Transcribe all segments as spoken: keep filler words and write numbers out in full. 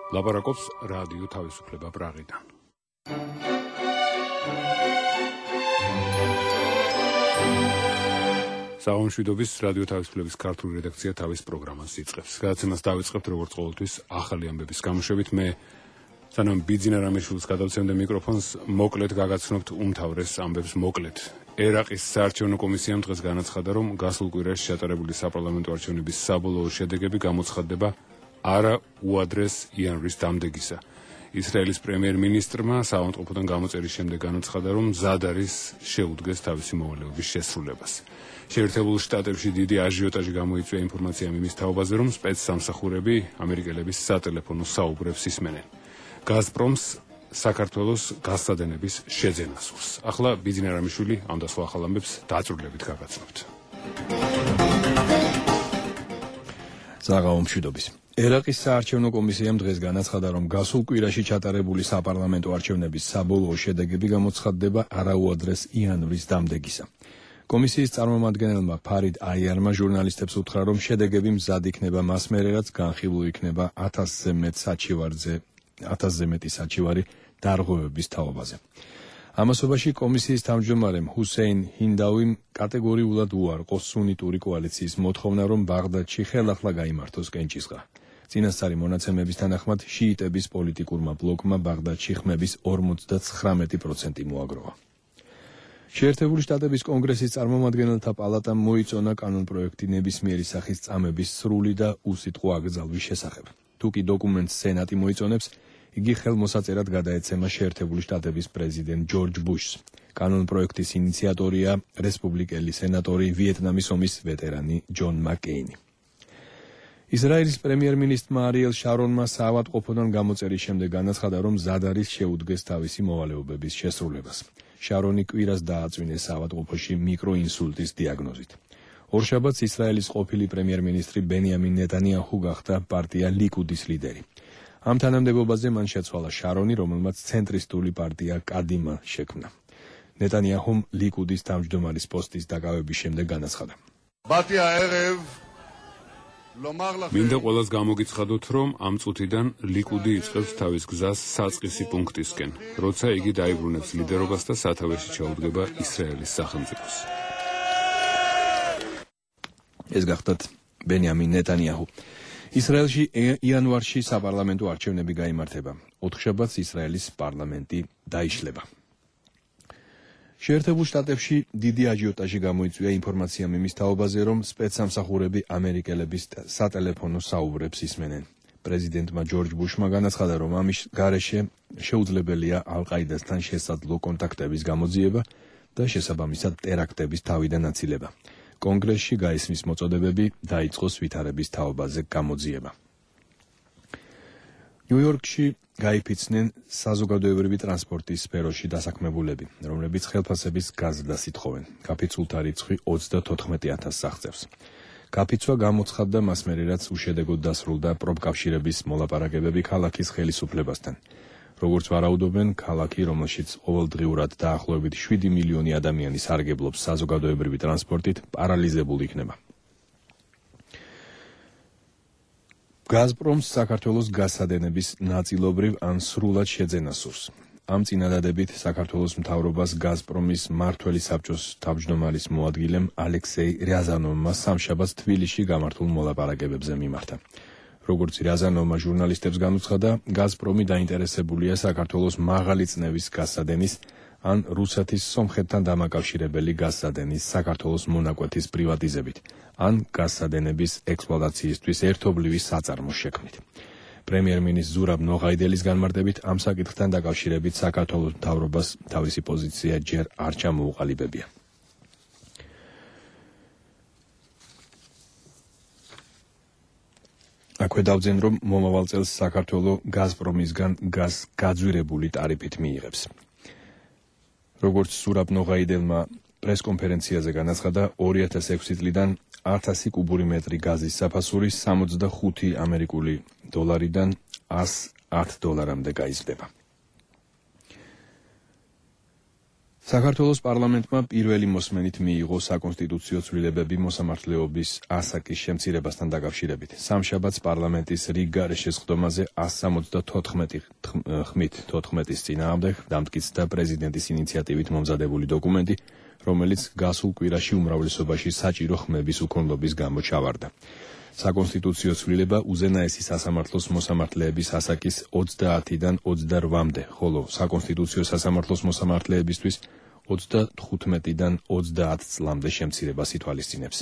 ლაპარაკობს რადიო თავისუფლება პრაღიდან. საომშვიდობის რადიო თავისუფლების ქართული რედაქცია თავის პროგრამას იწყებს. გადაცემას დავიწყებთ როგორც ყოველთვის ახალი ამბების გამოშვებით. მე სანამ ბიძინა რამიშვილს გადავცემდე მიკროფონს, მოკლედ გაგაცნობთ უმთავრეს ამბებს მოკლედ. ერაყის საარჩევნო კომისიამ დღეს განაცხადა, რომ გასულ კვირაში ჩატარებული საპარლამენტო არჩევნების საბოლოო შედეგები გამოცხადდება არა უადრეს იანვრის დამდეგისა. ისრაელის პრემიერ-მინისტრმა საავადმყოფოდან გამოწერის შემდეგ განაცხადა, რომ მზად არის შეუდგეს თავისი მოვალეობის შესრულებას. შეერთებულ შტატებში დიდი აჟიოტაჟი გამოიწვია ინფორმაციამ იმის თაობაზე, რომ სპეცსამსახურები ამერიკელების სატელეფონო საუბრებს ისმენენ. გაზპრომს საქართველოს გასადენების შეძენა სურს. ახლა ბიძინა რამიშვილი ამ და სხვა ახალ ამბებს დაწვრილებით გაგაცნობთ. საღამომშვიდობის. ერაყის საარჩევნო კომისიამ დღეს განაცხადა, რომ გასულ კვირაში ჩატარებული საპარლამენტო არჩევნების საბოლოო შედეგები გამოცხადდება არაუადრეს იანვრის დამდეგისა. კომისიის წარმომადგენელმა ფარიდ აიარმა ჟურნალისტებს უთხრა, რომ შედეგები მზად იქნება მას მერე, რაც განხილულ იქნება ათასზე მეტ საჩივარზე ათასზე მეტი საჩივარი დარღვევების თაობაზე. ამასობაში კომისიის თავმჯდომარემ ჰუსეინ ჰინდავიმ კატეგორიულად უარყო სუნიტური კოალიციის მოთხოვნა, რომ ბაღდადში ხელახლა გაიმართოს კენჭისყრა. წინასწარი მონაცემების თანახმად შიიტების პოლიტიკურმა ბლოკმა ბაღდადში ხმების ორმოცდათხრამეტი პროცენტი მოაგროვა. შეერთებული შტატების კონგრესის წარმომადგენელთა პალატამ მოიწონა კანონპროექტი ნებისმიერი სახის წამების სრული და უსიტყვო აკრძალვის შესახებ. თუკი დოკუმენტს სენატი მოიწონებს, იგი ხელმოსაწერად გადაეცემა შეერთებული შტატების პრეზიდენტ ჯორჯ ბუშს. კანონპროექტის ინიციატორია რესპუბლიკელი სენატორი ვიეტნამის ომის ვეტერანი ჯონ მაკეინი. ისრაელის პრემიერ-მინისტრმა არიელ შარონმა საავადმყოფოდან გამოწერის შემდეგ განაცხადა, რომ მზად არის შეუდგეს თავისი მოვალეობების შესრულებას. შარონი კვირას დააწვინეს საავადმყოფოში მიკროინსულტის დიაგნოზით. ორშაბათს ისრაელის ყოფილი პრემიერ-მინისტრი ბენიამინ ნეტანიაჰუ გახდა პარტია ლიკუდის ლიდერი. ამ თანამდებობაზე მან შეცვალა შარონი, რომელმაც ცენტრისტული პარტია კადიმა შექმნა. ნეტანიაჰუმ ლიკუდის თავმჯდომარის პოსტის დაკავების შემდეგ განაცხადა. მინდა ყველას გამოგიცხადოთ, რომ ამ წუთიდან ლიკუდი იწყებს თავის გზას საწყისი პუნქტისკენ, როცა იგი დაიბრუნებს ლიდერობას და სათავეში ჩაუდგება ისრაელის სახელმწიფოს. ეს გახდათ ბენიამინ ნეტანიაჰუ. ისრაელში იანვარში საპარლამენტო არჩევნები გაიმართება. ოთხშაბათს ისრაელის პარლამენტი დაიშლება. შეერთებულ შტატებში დიდი აჟიოტაჟი გამოიწვია ინფორმაციამ იმის თაობაზე, რომ სპეცსამსახურები ამერიკელების სატელეფონო საუბრებს ისმენენ. პრეზიდენტმა ჯორჯ ბუშმა განაცხადა, რომ ამის გარეშე შეუძლებელია ალ-ყაიდასთან შესაძლო კონტაქტების გამოძიება და შესაბამისად ტერაქტების თავიდან აცილება. კონგრესში გაისმის მოწოდებები დაიწყოს ვითარების თაობაზე გამოძიება. ნიუ-იორკში გაიფიცნენ საზოგადოებრივი ტრანსპორტის სფეროში დასაქმებულები, რომლებიც ხელფასების გაზრდას ითხოვენ. გაფიცულთა რიცხვი ოცდათოთხმეტი ათასს აღწევს. გაფიცვა გამოცხადდა მას მერე, რაც უშედეგოდ დასრულდა პროფკავშირების მოლაპარაკებები ქალაქის ხელისუფლებასთან. როგორც ვარაუდობენ, ქალაქი, რომელშიც ყოველდღიურად დაახლოებით შვიდი მილიონი ადამიანი სარგებლობს საზოგადოებრივი ტრანსპორტით, პარალიზებული იქნება. გაზპრომს საქართველოს გასადენების ნაწილობრივ ან სრულად შეძენა სურს. ამ წინადადებით საქართველოს მთავრობას გაზპრომის მმართველი საბჭოს თავმჯდომარის მოადგილემ ალექსეი რიაზანოვმა სამშაბათს თბილისში გამართულ მოლაპარაკებებზე მიმართა. როგორც რიაზანოვმა ჟურნალისტებს განუცხადა, გაზპრომი დაინტერესებულია საქართველოს მაღალი წნევის გასადენის ან რუსეთის სომხეთთან დამაკავშირებელი გასადენის საქართველოს მონაკვეთის პრივატიზებით, ან გასადენების ექსპლუატაციისთვის ერთობლივი საწარმოს შექმნით. პრემიერ-მინისტრ ზურაბ ნოღაიდელის განმარტებით, ამ საკითხთან დაკავშირებით საქართველოს მთავრობას თავისი პოზიცია ჯერ არ ჩამოუყალიბებია. აქვე დავძენ, რომ მომავალ წელს საქართველო გაზპრომისგან გაზ გაძვირებული ტარიფით მიიღებს. როგორც ზურაბ ნოღაიდელმა პრესკონფერენციაზე განაცხადა, ორი ათას ექვსი წლიდან ათასი კუბური მეტრი გაზის საფასური სამოცდახუთი ამერიკული დოლარიდან ას ათ დოლარამდე გაიზრდება. საქართველოს პარლამენტმა პირველი მოსმენით მიიღო საკონსტიტუციო ცვლილებები მოსამართლეობის ასაკის შემცირებასთან დაკავშირებით. სამშაბათს პარლამენტის რიგ გარეშე სხდომაზე ას სამოცდათოთხმეტი ხმით თოთხმეტის წინააღმდეგ დამტკიცდა პრეზიდენტის ინიციატივით მომზადებული დოკუმენტი, რომელიც გასულ კვირაში უმრავლესობაში საჭირო ხმების უქონლობის გამო ჩავარდა. საკონსტიტუციო ცვლილება უზენაესი სასამართლოს მოსამართლეების ასაკის ოცდაათიდან ოცდარვამდე, ხოლო საკონსტიტუციო სასამართლოს მოსამართლეებისთვის ოცდათხუთმეტიდან ოცდაათ წლამდე შემცირებას ითვალისწინებს.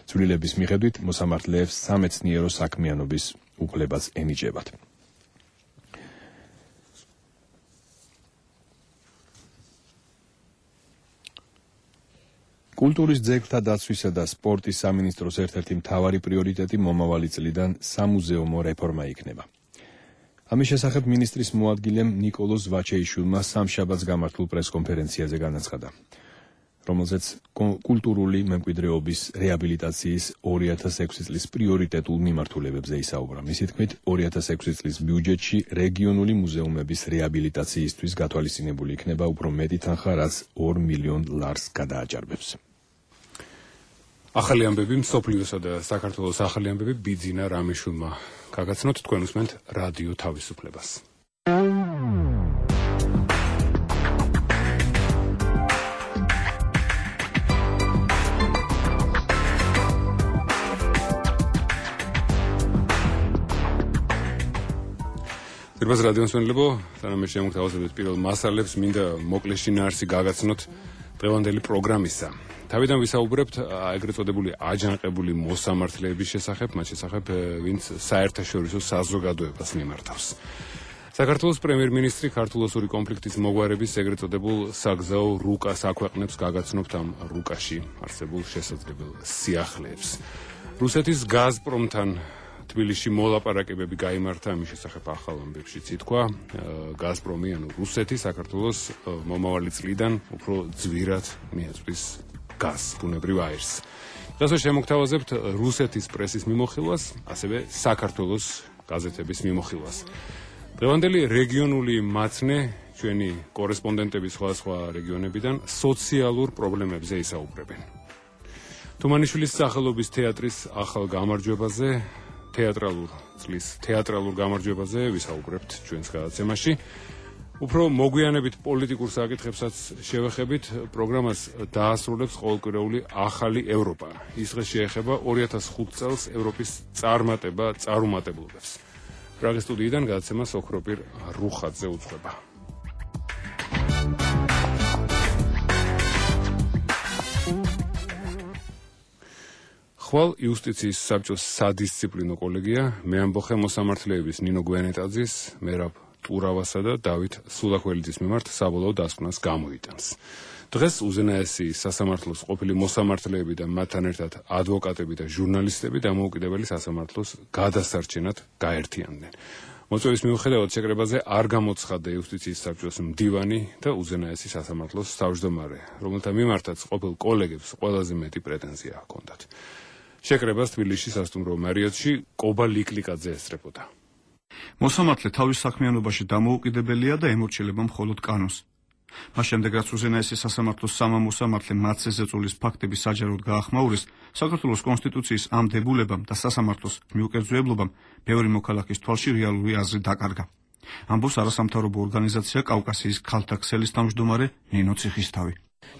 ცვლილების მიხედვით მოსამართლეებს სამეცნიერო საქმიანობის უფლებაც ენიჭებათ. კულტურის ძეგლთა დაცვისა და სპორტის სამინისტროს ერთ-ერთი მთავარი პრიორიტეტი მომავალი წლიდან სამუზეუმო რეფორმა იქნება. ამის შესახებ მინისტრის მოადგილემ ნიკოლოზ ვაჩეიშვილმა სამშაბათს გამართულ პრესკონფერენციაზე განაცხადა, რომელზეც კულტურული მემკვიდრეობის რეაბილიტაციის ორი ათას ექვსი წლის პრიორიტეტულ მიმართულებებზე ისაუბრა. მისი თქმით, ორი ათას ექვსი წლის ბიუჯეტში რეგიონული მუზეუმების რეაბილიტაციისთვის გათვალისწინებული იქნება უფრო მეტი თანხა, რაც ორ მილიონ ლარს გადააჭარბებს. ახალი ამბები მსოფლიოსა და საქართველოს ახალი ამბები ბიძინა რამიშვილმა გაგაცნოთ, თქვენ უსმენთ რადიო თავისუფლებას. ძირბას რადიო მსმენელებო, სანამ მე შემოგთავაზებთ პირველ მასალებს, მინდა მოკლე შინაარსი გაგაცნოთ დღევანდელი პროგრამისა. თავიდან ვისაუბრებთ ეგრეთ წოდებული აჯანყებული მოსამართლეების შესახებ, მათ შესახებ, ვინც საერთაშორისო საზოგადოებას მიმართავს. საქართველოს პრემიერ-მინისტრი ქართულ-ოსური კონფლიქტის მოგვარების ეგრეთ წოდებულ საგზაო რუკას აქვეყნებს, გაგაცნობთ ამ რუკაში არსებულ შესაძლებელ სიახლეებს. რუსეთის გაზპრომთან თბილისში მოლაპარაკებები გაიმართა, ამის შესახებ ახალ ამბებშიც ითქვა. გაზპრომი, ანუ რუსეთი, საქართველოს მომავალი წლიდან უფრო ძვირად მიაწვის გაზს, ბუნებრივ აირს. დღეს შემოგთავაზებთ რუსეთის პრესის მიმოხილვას, ასევე საქართველოს გაზეთების მიმოხილვას. დღევანდელი რეგიონული მაცნე, ჩვენი კორესპონდენტები სხვადასხვა რეგიონებიდან სოციალურ პრობლემებზე ისაუბრებენ. თუმანიშვილის სახელობის თეატრის ახალ გამარჯვებაზე, თეატრალურ წლის თეატრალურ გამარჯვებაზე ვისაუბრებთ ჩვენს გადაცემაში. უფრო მოგვიანებით პოლიტიკურ საკითხებსაც შევეხებით, პროგრამას დაასრულებს ყოველკვირეული ახალი ევროპა. ის დღეს შეეხება ორი ათას ხუთ წელს ევროპის წარმატება წარუმატებლობებს. პრაღის სტუდიიდან გადაცემას ოქროპირ რუხაძე უძღვება. ხვალ იუსტიციის საბჭოს სადისციპლინო კოლეგია მეამბოხე მოსამართლეების ნინო გვენეტაძის, მერაბ ტურავასა და დავით სულაქველიძის მიმართ საბოლოო დასკვნას გამოიტანს. დღეს უზენაესი სასამართლოს ყოფილი მოსამართლეები და მათთან ერთად ადვოკატები და ჟურნალისტები დამოუკიდებელი სასამართლოს გადასარჩენად გაერთიანდნენ. მოწვევის მიუხედავად შეკრებაზე არ გამოცხადდა იუსტიციის საბჭოს მდივანი და უზენაესი სასამართლოს თავმჯდომარე, რომელთა მიმართაც ყოფილ კოლეგებს ყველაზე მეტი პრეტენზია ჰქონდათ. შეკრებას თბილისში სასტუმრო მარიოტში კობა ლიკლიკაძე ესწრებოდა. მოსამართლე თავის საქმიანობაში დამოუკიდებელია და ემორჩილება მხოლოდ კანონს. მას შემდეგ, რაც უზენაესი სასამართლოს სამამოსამართლე მათზე ზეწოლის ფაქტები საჯაროდ გაახმაურეს, საქართველოს კონსტიტუციის ამ დებულებამ და სასამართლოს მიუკერძოებლობამ ბევრი მოქალაქის თვალში რეალური აზრი დაკარგა. ამბობს არასამთავრობო ორგანიზაცია კავკასიის ქალთა ქსელის თავმჯდომარე ნინო ციხისთავი.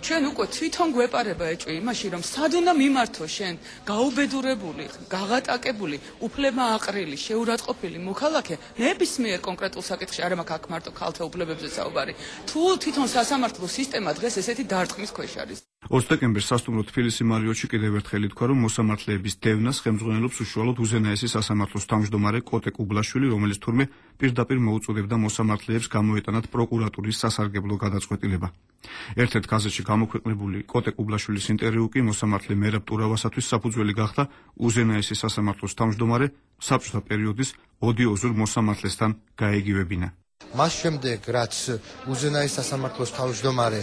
ჩვენ უკვე თვითონ გვეპარება ეჭვი იმაში, რომ სად უნდა მიმართო შენ გაუბედურებული, გაღატაკებული, უფლება აყრილი, შეურაცხყოფილი მოქალაქე ნებისმიერ კონკრეტულ საკითხში, არა მაქვს აქ მარტო ქალთა უფლებებზე საუბარი. თუ თვითონ სასამართლო სისტემა დღეს ესეთი დარტყმის ქვეშ არის. ორ დეკემბერს სასტუმრო თბილისი მარიოტში კიდევ ერთხელ ითქვა, რომ მოსამართლეების დევნას ხელმძღვანელობს უშუალოდ უზენაესი სასამართლოს თავმჯდომარე კოტე კუბლაშვილი, რომელიც თურმე პირდაპირ მოუწოდებდა მოსამართლეებს გამოეტანათ პროკურატურის სასარგებლო გადაწყვეტილება. ერთ-ერთ გაზეთში გამოქვეყნებული კოტე კუბლაშვილის ინტერვიუ კი მოსამართლე მერაბ ტურავასათვის საფუძველი გახდა უზენაესი სასამართლოს თავმჯდომარე საბჭოთა პერიოდის ოდიოზურ მოსამართლესთან გაეგივებინა. მას შემდეგ, რაც უზენაესი სასამართლოს თავმჯდომარე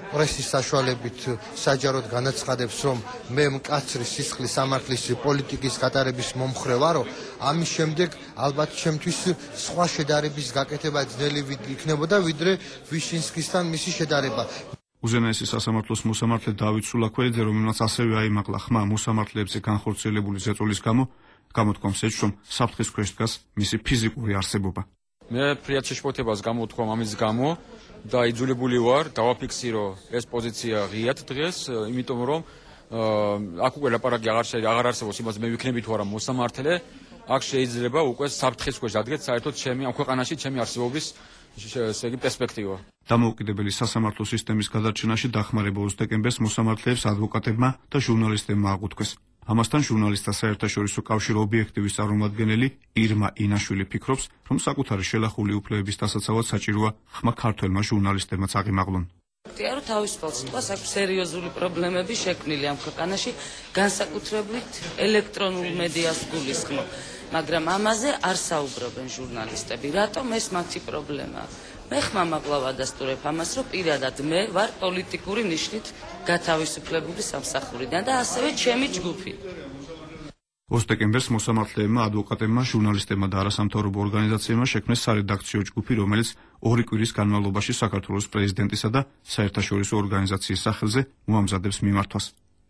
პრესის საშუალებით საჯაროდ განაცხადებს, რომ მე მკაცრი სისხლის სამართლის პოლიტიკის გატარების მომხრე ვარო, ამის შემდეგ ალბათ ჩემთვის სხვა შედარების გაკეთება ძნელი იქნებოდა, ვიდრე ვიშინსკისთან მისი შედარება. უზენაესი სასამართლოს მოსამართლე დავით სულაქველიძე, რომელმაც ასევე აიმაღლა ხმა მოსამართლეებზე განხორციელებული ზეწოლის გამო, გამოთქვამს ეჭვს, რომ საფრთხის ქვეშ დგას მისი ფიზიკური არსებობა. მე ფრიად შეშფოთებას გამოვთქვამ ამის გამო და იძულებული ვარ დავაფიქსირო ეს პოზიცია ღიად დღეს, იმიტომ რომ აქ უკვე ლაპარაკი აღარ არსებობს იმას მე ვიქნები თუ არა მოსამართლე, აქ შეიძლება უკვე საფრთხის ქვეშ დადგეთ საერთოდ ჩემი ამ ქვეყანაში ჩემი არსებობის ესე იგი პერსპექტივა. დამოუკიდებელი სასამართლო სისტემის გადარჩენაში დახმარება ოცი დეკემბერს მოსამართლეებს, ადვოკატებმა და ჟურნალისტებმა აღუთქვეს. ამასთან ჟურნალისტთა საერთაშორისო კავშირ ობიექტივის წარმომადგენელი ირმა ინაშვილი ფიქრობს, რომ საკუთარი შელახული უფლებების დასაცავად საჭიროა ხმა ქართველმა ჟურნალისტებმაც აღიმაღლონ. რომ თავისუფალ სიტყვას აქვს სერიოზული პრობლემები შექმნილი ამ ქვეყანაში, განსაკუთრებით ელექტრონულ მედიას გულისხმობ, მაგრამ ამაზე არ საუბრობენ ჟურნალისტები. რატომ ეს მათი პრობლემაა? მე ხმამაღლა ვადასტურებ ამას, რომ პირადად მე ვარ პოლიტიკური ნიშნით გათავისუფლებული სამსახურიდან და ასევე ჩემი ჯგუფი. ოცი დეკემბერს მოსამართლეებმა, ადვოკატებმა, ჟურნალისტებმა და არასამთავრობო ორგანიზაციებმა შექმნეს სარედაქციო ჯგუფი, რომელიც ორი კვირის განმავლობაში საქართველოს პრეზიდენტისა და საერთაშორისო ორგანიზაციის სახელზე მოამზადებს მიმართვას.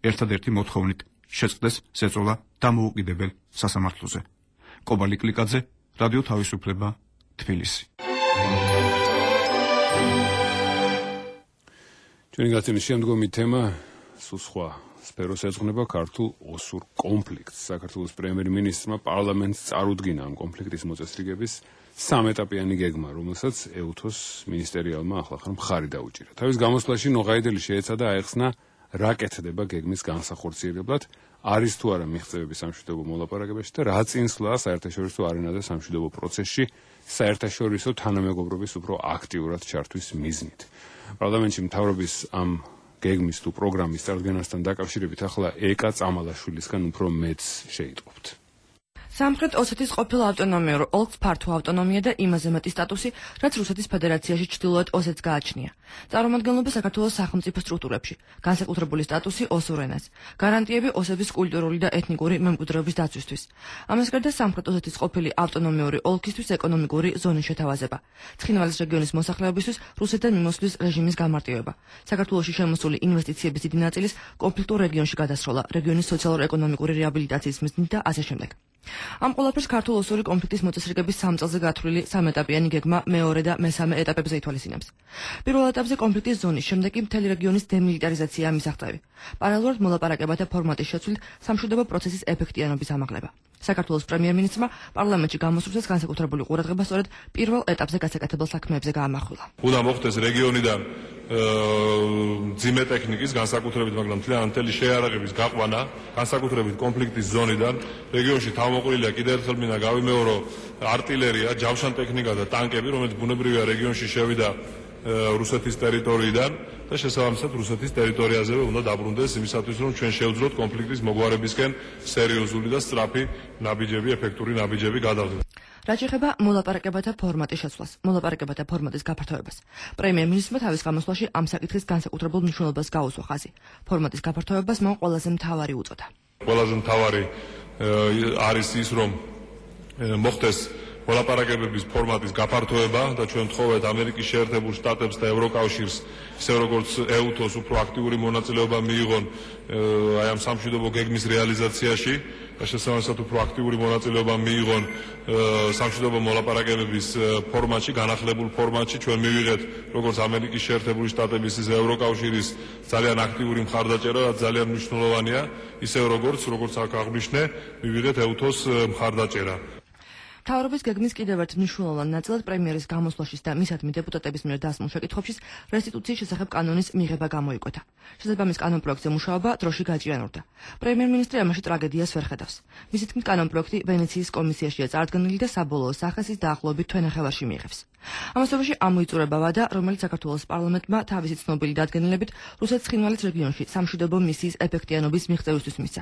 ერთადერთი მოთხოვნით შეწყდეს ზეწოლა დამოუკიდებელ სასამართლოზე. კობალი კლიკაძე, რადიო თავისუფლება, თბილისი. ჩვენი გაცემის შემდგომი თემა სულ სხვა სფეროს ეძღვნება ქართულ ოსურ კონფლიქტს. საქართველოს პრემიერ-მინისტრმა პარლამენტს წარუდგინა ამ კონფლიქტის მოწესრიგების სამეტაპიანი გეგმა, რომელსაც ეუთოს მინისტერიალმა ახლახან მხარი დაუჭირა. თავის გამოსვლაში ნოღაიდელი შეეცადა აეხსნა რა კეთდება გეგმის განსახორციელებლად, არის თუ არა მიღწევები სამშვიდობო მოლაპარაკებაში და რა წინსვლა საერთაშორისო არენაზე სამშვიდობო პროცესში საერთაშორისო თანამეგობრობის უფრო აქტიურად ჩართვის მიზნით. პარლამენტში მთავრობის ამ გეგმის თუ პროგრამის წარდგენასთან დაკავშირებით ახლა ეკა წამალაშვილისგან უფრო მეც შეიტყობთ. სამხრეთ ოსეთის ყოფილ ავტონომიურ ოლქს ფართო ავტონომია და იმაზე მეტი სტატუსი, რაც რუსეთის ფედერაციაში ჩრდილოეთ ოსეთს გააჩნია. წარმომადგენლობა საქართველოს სახელმწიფო სტრუქტურებში, განსაკუთრებული სტატუსი ოსურ ენას, გარანტიები ოსების კულტურული და ეთნიკური მემკვიდრეობის დაცვისთვის. ამას გარდა სამხრეთ ოსეთის ყოფილი ავტონომიური ოლქისთვის ეკონომიკური ზონის შეთავაზება, ცხინვალის რეგიონის მოსახლეობისთვის რუსეთთან მიმოსვლის რეჟიმის გამარტივება, საქართველოში შემოსული ინვესტიციების დიდი ნაწილის კონფლიქტურ რეგიონში გადასროლა, რეგიონის სოციალურ-ეკონომიკური რეაბილიტაციის მიზნით და ასე შემდეგ. ამ ყველაფერს ქართულ-ოსური კონფლიქტის მოწესრიგების სამ წელზე გათვლილი სამეტაპიანი გეგმა მეორე და მესამე ეტაპებზე ითვალისწინებს. პირველ ეტაპზე კონფლიქტის ზონის, შემდეგ კი მთელი რეგიონის დემილიტარიზაციაა მისაღწევი. პარალელურად მოლაპარაკებათა ფორმატის შეცვლით სამშვიდობო პროცესის ეფექტიანობის ამაღლება. საქართველოს პრემიერ-მინისტრმა პარლამენტში გამოსვლისას განსაკუთრებული ყურადღება სწორედ პირველ ეტაპზე გასაკეთებელ საქმეებზე გაამახვილა. უნდა მოხდეს რეგიონიდან ძიმე ტექნიკის განსაკუთრებით, მაგრამ მთლიანი შეიარაღების გაყვანა, განსაკუთრებით კონფლიქტის ზონიდან რეგიონში თავმოყრილია კიდევ ერთხელ მინდა გავიმეორო артиლერია, ჯავშან ტექნიკა და ტანკები, რომელიც ბუნებრივია რეგიონში შევიდა რუსეთის ტერიტორიიდან და შესაბამისად რუსეთის ტერიტორიაზევე უნდა დაბრუნდეს იმისათვის, რომ ჩვენ შევძლოთ კონფლიქტის მოგვარებისკენ სერიოზული და სწრაფი ნაბიჯები, ეფექტური ნაბიჯები გადავდგეთ. რაც ეხება მოლაპარაკებათა ფორმატის შეცვლას, მოლაპარაკებათა ფორმატის გაფართოებას. პრემიერ-მინისტრმა თავის გამოსვლაში ამ საკითხის განსაკუთრებულ მნიშვნელობას გაუსვა ხაზი. ფორმატის გაფართოებას მან ყველაზე მთავარი უწოდა. ყველაზე მთავარი არის ის, რომ მოხდეს მოლაპარაკებების ფორმატის გაფართოება და ჩვენ ვთხოვეთ ამერიკის შეერთებულ შტატებს და ევროკავშირს, ისე როგორც ეუთოს უფრო აქტიური მონაწილეობა მიიღონ აი ამ სამშვიდობო გეგმის რეალიზაციაში და შესაბამისად უფრო აქტიური მონაწილეობა მიიღონ სამშვიდობო მოლაპარაკებების ფორმატში, განახლებულ ფორმატში. ჩვენ მივიღეთ როგორც ამერიკის შეერთებული შტატების, ისე ევროკავშირის ძალიან აქტიური მხარდაჭერა, რაც ძალიან მნიშვნელოვანია, ისე როგორც როგორც აქ აღნიშნე, მივიღეთ ეუთოს მხარდაჭერა. მთავრობის გეგმის კიდევ ერთ მნიშვნელოვან ნაწილად პრემიერის გამოსვლაშიც და მისადმი დეპუტატების მიერ დასმულ შეკითხვებში რესტიტუციის შესახებ კანონის მიღება გამოიკვეთა. შესაბამის კანონპროექტზე მუშაობა დროში გაჭიანურდა. პრემიერ-მინისტრი ამაში ტრაგედიას ვერ ხედავს. მისი თქმით, კანონპროექტი ვენეციის კომისიაშია წარდგენილი და საბოლოო სახეს ის დაახლოებით თვენახევარში მიიღებს. ამასობაში ამოიწურება ვადა, რომელიც საქართველოს პარლამენტმა თავისი ცნობილი დადგენილებით რუსეთის ცხინვალის რეგიონში სამშვიდობო მისიის ეფექტიანობის მიღწევისთვის მისცა.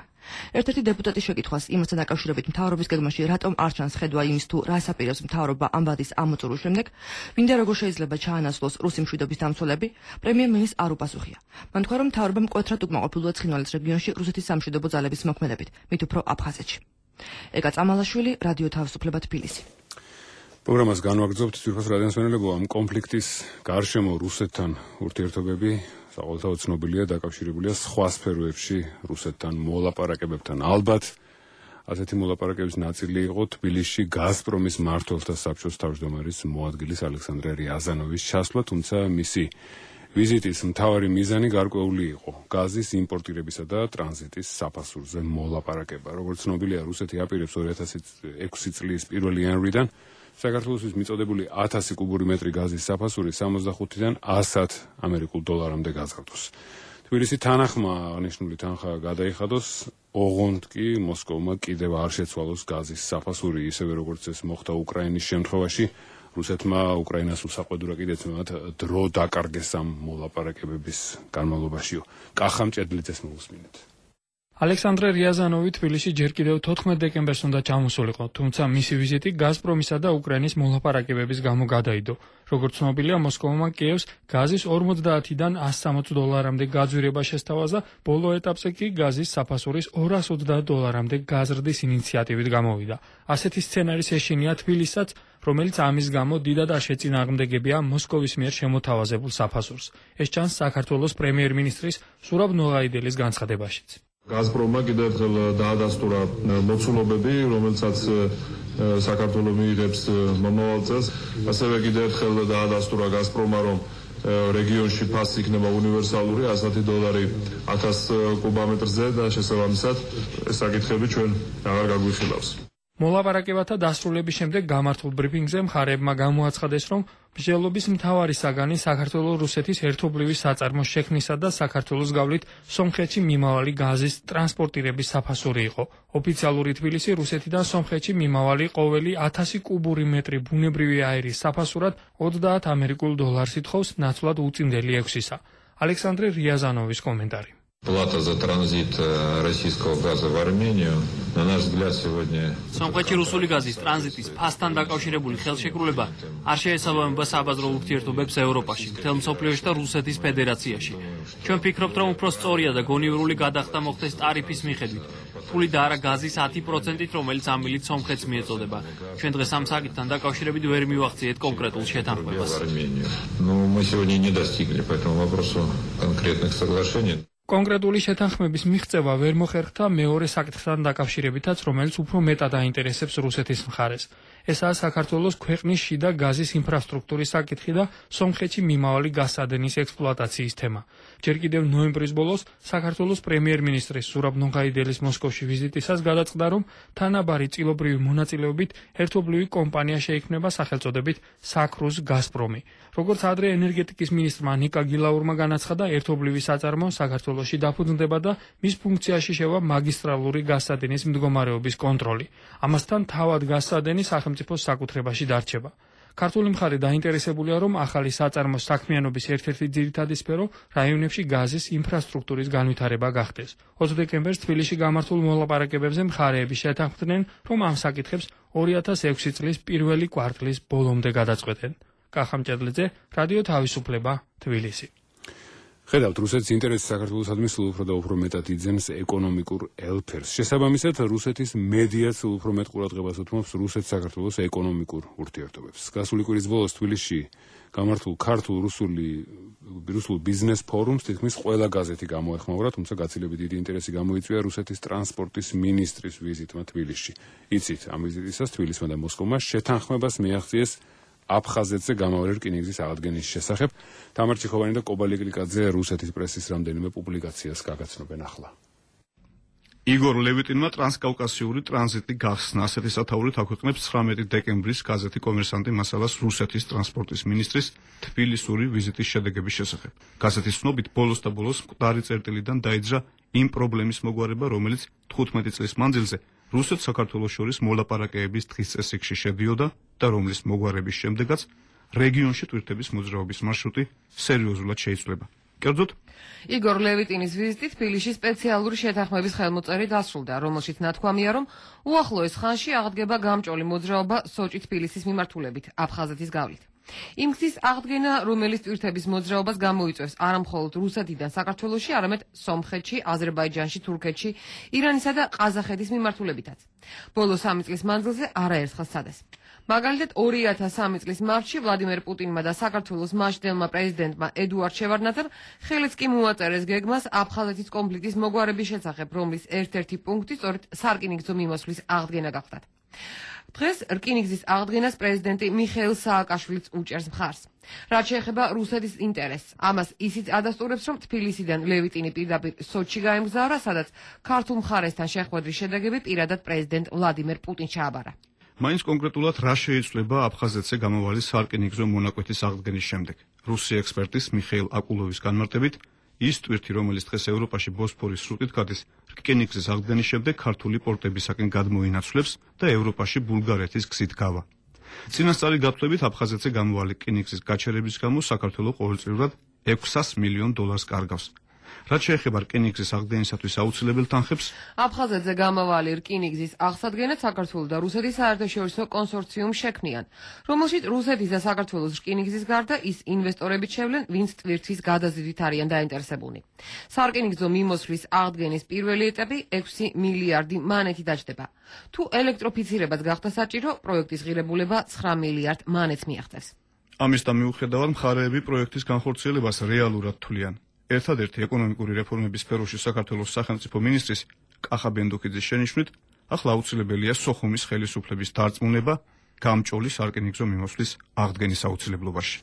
ერთ-ერთი დეპუტატის შეკითხვას იმასთან დაკავშირებით მთავრობის გეგმაში რატომ არ ჩანს ხედვა იმის თუ რას აპირებს მთავრობა ამ ვადის ამოწურვის შემდეგ, ვინდა როგორ შეიძლება ჩაანაცვლოს რუსი მშვიდობის დამცველები, პრემიერ-მინისტრს არ უპასუხია. მან თქვა, რომ მთავრობა მკვეთრად უკმაყოფილოა ცხინვალის რეგიონში რუსეთის სამშვიდობო ძალების მოქმედებით, მით უფრო აფხაზეთში. ეკა წამალაშვილი, რადიო თავისუფლება, თბილისი. პროგრამას განვაგრძობთ. ძვირფას რადიოსმენელებო, ამ კონფლიქტის გარშემო რუსეთთან ურთიერთობები საყოველთაოდ ცნობილია დაკავშირებულია სხვა სფეროებში რუსეთთან მოლაპარაკებებთან. ალბათ ასეთი მოლაპარაკების ნაწილი იყო თბილისში გაზპრომის მმართველთა საბჭოს თავმჯდომარის მოადგილის ალექსანდრე რიაზანოვის ჩასვლა, თუმცა მისი ვიზიტის მთავარი მიზანი გარკვეული იყო გაზის იმპორტირებისა და ტრანზიტის საფასურზე მოლაპარაკება. როგორც ცნობილია, რუსეთი აპირებს ორი ათასი ექვსი წლის პირველი იანვრიდან საქართველოსთვის მიწოდებული ათასი კუბური მეტრი გაზის საფასური სამოცდახუთიდან ასად ამერიკულ დოლარამდე გაზრდოს. თბილისი თანახმა აღნიშნული თანხა გადაიხადოს, ოღონდ კი მოსკოვმა კიდევ არ შეცვალოს გაზის საფასური, ისევე როგორც ეს მოხდა უკრაინის შემთხვევაში. რუსეთმა უკრაინას უსაყვედურა კიდეც მათ დრო დაკარგეს ამ მოლაპარაკებების განმავლობაშიო. კახამ ჭედლიძეს მოусმინეთ. ალექსანდრე რიაზანოვი თბილისში ჯერ კიდევ თოთხმეტ დეკემბერს უნდა ჩამოსულიყო, თუმცა მისი ვიზიტი გაზპრომისა და უკრაინის მოლაპარაკებების გამო გადაიდო. როგორც ცნობილია, მოსკოვმა კიევს გაზის ორმოცდაათიდან ასს სამოცი დოლარამდე გაძვირება შესთავაზა, ბოლო ეტაპზე კი გაზის საფასურის ორას ოცდაათ დოლარამდე გაზრდის ინიციატივით გამოვიდა. ასეთი სცენარის ეშინია თბილისსაც, რომელიც ამის გამო დიდად არ შეწინააღმდეგებია მოსკოვის მიერ შემოთავაზებულ საფასურს. ეს ჩანს საქართველოს პრემიერ-მინისტრის სურაბ ნოღაიდელის განცხადებაშიც. გაზპრომმა კიდევ ერთხელ დაადასტურა მოცულობები, რომელსაც საქართველოს მიიღებს მომავალ წელს. ასევე კიდევ ერთხელ დაადასტურა გაზპრომმა, რომ რეგიონში ფასი იქნება უნივერსალური ასეთი დოლარი ათას კუბამეტრზე და შესაბამისად ეს საკითხები ჩვენ აღარ გაგვიხილავს. მოლაპარაკებათა დასრულების შემდეგ გამართულ ბრიფინგზე მხარეებმა გამოაცხადეს, რომ მსჯელობის მთავარი საგანი საქართველოს რუსეთის ერთობლივი საწარმოს შექმნისა და საქართველოს გავლით სომხეთში მიმავალი გაზის ტრანსპორტირების საფასური იყო. ოფიციალური თბილისი რუსეთიდან სომხეთში მიმავალი ყოველი ათასი კუბური მეტრი ბუნებრივი აირის საფასურად ოცდაათ ამერიკულ დოლარს ითხოვს, ნაცვლად უწინდელი ექვსისა. ალექსანდრე რიაზანოვის კომენტარი. Плата за транзит российского газа в Армению, на наш взгляд, сегодня... სომხეთში რუსული გაზის ტრანზიტის ფასთან დაკავშირებული ხელშეკრულება არ შეესაბამება საბაზრო ურთიერთობებს ევროპაში, მთელ მსოფლიოში და რუსეთის ფედერაციაში. ჩვენ ვფიქრობთ, რომ უფრო სწორია და გონივრული გადახდა მოხდეს ტარიფის მიხედვით, ფული და არა გაზის ათი პროცენტით, რომელიც ამ მილით სომხეთს მიეწოდება. ჩვენ დღეს ამ საკითხთან დაკავშირებით ვერ მივახციეთ კონკრეტულ შეთანხმებას. Ну, мы сегодня не достигли по этому вопросу конкретных соглашений. კონკრეტული შეთანხმების მიღწევა ვერ მოხერხდა მეორე საკითხთან დაკავშირებითაც, რომელიც უფრო მეტად აინტერესებს რუსეთის მხარეს. ესაა საქართველოს ქვეყნის შიდა გაზის ინფრასტრუქტურის საკითხი და სომხეთში მიმავალი გაზსადენის ექსპლუატაციის თემა. ჯერ კიდევ ნოემბრის ბოლოს საქართველოს პრემიერ-მინისტრის სურაბ ნოღაიდელის მოსკოვში ვიზიტისას გადაწყდა, რომ თანაბარი წილობრივი მონაწილეობით ერთობლივი კომპანია შეიქმნება სახელწოდებით „საქრუს გაზპრომი“. როგორც ადრე ენერგეტიკის მინისტრმა ნიკა გილაურმა განაცხადა, ერთობლივი საწარმო საქართველოში დაფუძნდება და მის ფუნქციაში შევა მაგისტრალური გაზსადენის მდგომარეობის კონტროლი. ამასთან თავად გაზსადენი სახელმწიფოს საკუთრებაში დარჩება. ქართული მხარე დაინტერესებულია, რომ ახალი საწარმოს საქმიანობის ერთ-ერთი ძირითადი სფერო რაიონებში გაზის ინფრასტრუქტურის განვითარება გახდეს. ოცი დეკემბერს თბილისში გამართულ მოლაპარაკებებზე მხარეები შეთანხმდნენ, რომ ამ საკითხებს ორი ათას ექვსი წლის პირველი კვარტლის ბოლომდე გადაწყვეტენ. კახამ ჭედლიძე, რადიო თავისუფლება, თბილისი. ხედავთ, რუსეთის ინტერესი საქართველოსადმი სულ უფრო და უფრო მეტად იძენს ეკონომიკურ ელფერს. შესაბამისად, რუსეთის მედიაც სულ უფრო მეტ ყურადღებას უთმობს რუსეთ-საქართველოს ეკონომიკურ ურთიერთობებს. გასული კვირის ბოლოს თბილისში გამართულ ქართულ-რუსული რუსულ ბიზნეს ფორუმს თითქმის ყველა გაზეთი გამოეხმაურა, თუმცა გაცილებით დიდი ინტერესი გამოიწვია რუსეთის ტრანსპორტის მინისტრის ვიზიტმა თბილისში. იცით, ამ ვიზიტისას თბილისმა და მოსკოვმა შეთანხმებას მიაღწიეს აფხაზეთზე გამავალი რკინიგზის აღდგენის შესახებ. თამარ ჩიხოვანი და კობალი გლიკაძე რუსეთის პრესის რამდენიმე პუბლიკაციას გაგაცნობენ ახლა. იგორ ლევიტინმა ტრანსკავკასიური ტრანზიტი გახსნა. ასეთი სათაურით აქვეყნებს ცხრამეტი დეკემბრის გაზეთი კომერსანტი მასალას რუსეთის ტრანსპორტის მინისტრის თბილისური ვიზიტის შედეგების შესახებ. გაზეთის ცნობით, ბოლოს და ბოლოს მკვდარი წერტილიდან დაიძრა იმ პრობლემის მოგვარება, რომელიც თხუთმეტი წლის მანძილზე რუსეთ-საქართველოს შორის მოლაპარაკებების დღის წესრიგში შედიოდა და რომლის მოგვარების შემდეგაც რეგიონში ტვირთების მოძრაობის მარშრუტი სერიოზულად შეიცვლება. კერძოდ, იგორ ლევიტინის ვიზიტი თბილისში სპეციალური შეთანხმების ხელმოწერი დასრულდა, რომელშიც ნათქვამია, რომ უახლოეს ხანში აღდგება გამჭოლი მოძრაობა სოჭი-თბილისის მიმართულებით აფხაზეთის გავლით. იმ გზის აღდგენა, რომელიც ტვირთების მოძრაობას გამოიწვევს არა მხოლოდ რუსეთიდან საქართველოში, არამედ სომხეთში, აზერბაიჯანში, თურქეთში, ირანისა და ყაზახეთის მიმართულებითაც. ბოლო სამი წლის მანძილზე არაერთხელ სცადეს. მაგალითად, ორი ათას სამი წლის მარტში ვლადიმერ პუტინმა და საქართველოს მაშინდელმა პრეზიდენტმა ედუარდ შევარდნაძემ ხელიც კი მოაწერეს გეგმას აფხაზეთის კონფლიქტის მოგვარების შესახებ, რომლის ერთ-ერთი პუნქტი სწორედ სარკინიგზო მიმოსვლის აღდგენა გახლდათ. დღეს რკინიგზის აღდგენას პრეზიდენტი მიხეილ სააკაშვილიც უჭერს მხარს. რაც შეეხება რუსეთის ინტერესს, ამას ისიც ადასტურებს, რომ თბილისიდან ლევიტინი პირდაპირ სოჩში გაემგზავრა, სადაც ქართულ მხარესთან შეხვედრის შედეგები პირადად პრეზიდენტ ვლადიმერ პუტინს ჩააბარა. მაინც კონკრეტულად რა შეიცვლება აფხაზეთზე გამოვალი სარკინიგზო მონაკვეთის აღდგენის შემდეგ. რუსი ექსპერტის მიხეილ აკულოვის განმარტებით, ის ტვირთი, რომელიც დღეს ევროპაში ბოსფორის სრუტით გადის, რკინიგზის აღდგენის შემდეგ ქართული პორტებისაკენ გადმოინაცვლებს და ევროპაში ბულგარეთის გზით გავა. წინასწარი გათვლებით აფხაზეთზე გამოვალი რკინიგზის გაჩერების გამო საქართველო ყოველწლიურად ექვსას მილიონ დოლარს კარგავს. რაც შეეხება რკინიგზის აღდგენისათვის აუცილებელ თანხებს, აფხაზეთზე გამავალი რკინიგზის აღსადგენად საქართველო და რუსეთის საერთაშორისო კონსორციუმს შექმნიან, რომელშიც რუსეთის და საქართველოს რკინიგზის გარდა ის ინვესტორებიც შევლენ, ვინც ტვირთვის გადაზიდვით არიან დაინტერესებულნი. სარკინიგზო მიმოსვლის აღდგენის პირველი ეტაპი ექვსი მილიარდი მანეთი დაჯდება. თუ ელექტროფიცირებაც გახდა საჭირო, პროექტის ღირებულება ცხრა მილიარდ მანეთს მიაღწევს. ამისთან მიუხედავად, მხარეები პროექტის განხორციელებას რეალურად თვლიან. ერთადერთი ეკონომიკური რეფორმების სფეროში საქართველოს სახელმწიფო მინისტრის კახა ბენდუქიძის შენიშვნით, ახლა აუცილებელია სოხუმის ხელისუფლების დარწმუნება გამჭოლი სარკინიგზო მიმოსვლის აღდგენის აუცილებლობაში.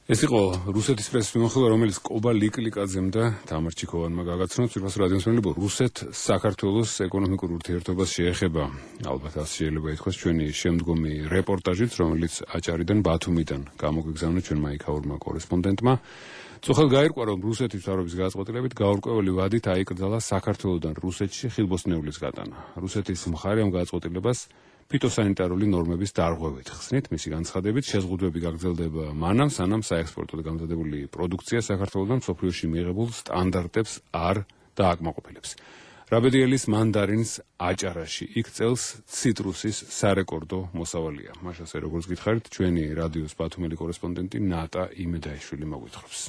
ეს იყო რუსეთის პრესის მიმოხილვა, რომელიც კობა ლიკლიკაძემ და თამარ ჩიქოვანმა გაგაცნოთ. პირველს რადიოს მელობო რუსეთ-საქართველოს ეკონომიკურ ურთიერთობას შეეხება. ალბათ ასე შეიძლება ითქვას ჩვენი შემდგომი რეპორტაჟით, რომელიც აჭარიდან ბათუმიდან გამოგვიგზავნა ჩვენმა იქაურმა კორესპონდენტმა. წუხელ გაირკვა, რომ რუსეთის მთავრობის გადაწყვეტილებით გაურკვეველი ვადით აიკრძალა საქართველოდან რუსეთში ხილბოსნეულის გატანა. რუსეთის მხარე ამ გადაწყვეტილებას ფიტოსანიტარული ნორმების დარღვევით ხსნით, მისი განცხადებით შეზღუდვები გაგრძელდება მანამ, სანამ საექსპორტოდ გამზადებული პროდუქცია საქართველოდან მსოფლიოში მიღებულ სტანდარტებს არ დააკმაყოფილებს. რაბედიელის მანდარინს აჭარაში იქ წელს ციტრუსის სარეკორდო მოსავალია. მას ასე როგორც გითხარით, ჩვენი რადიოს ბათუმელი კორესპონდენტი ნატა იმედაიშვილი მოგვითხრობს.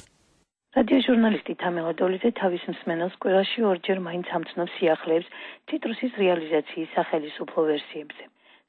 რადიო ჟურნალისტი თამელა დოლიძე თავის მსმენელს კვირაში ორჯერ მაინც ამცნობს სიახლეებს ციტრუსის რეალიზაციის სახელისუფლო ვერსიებზე.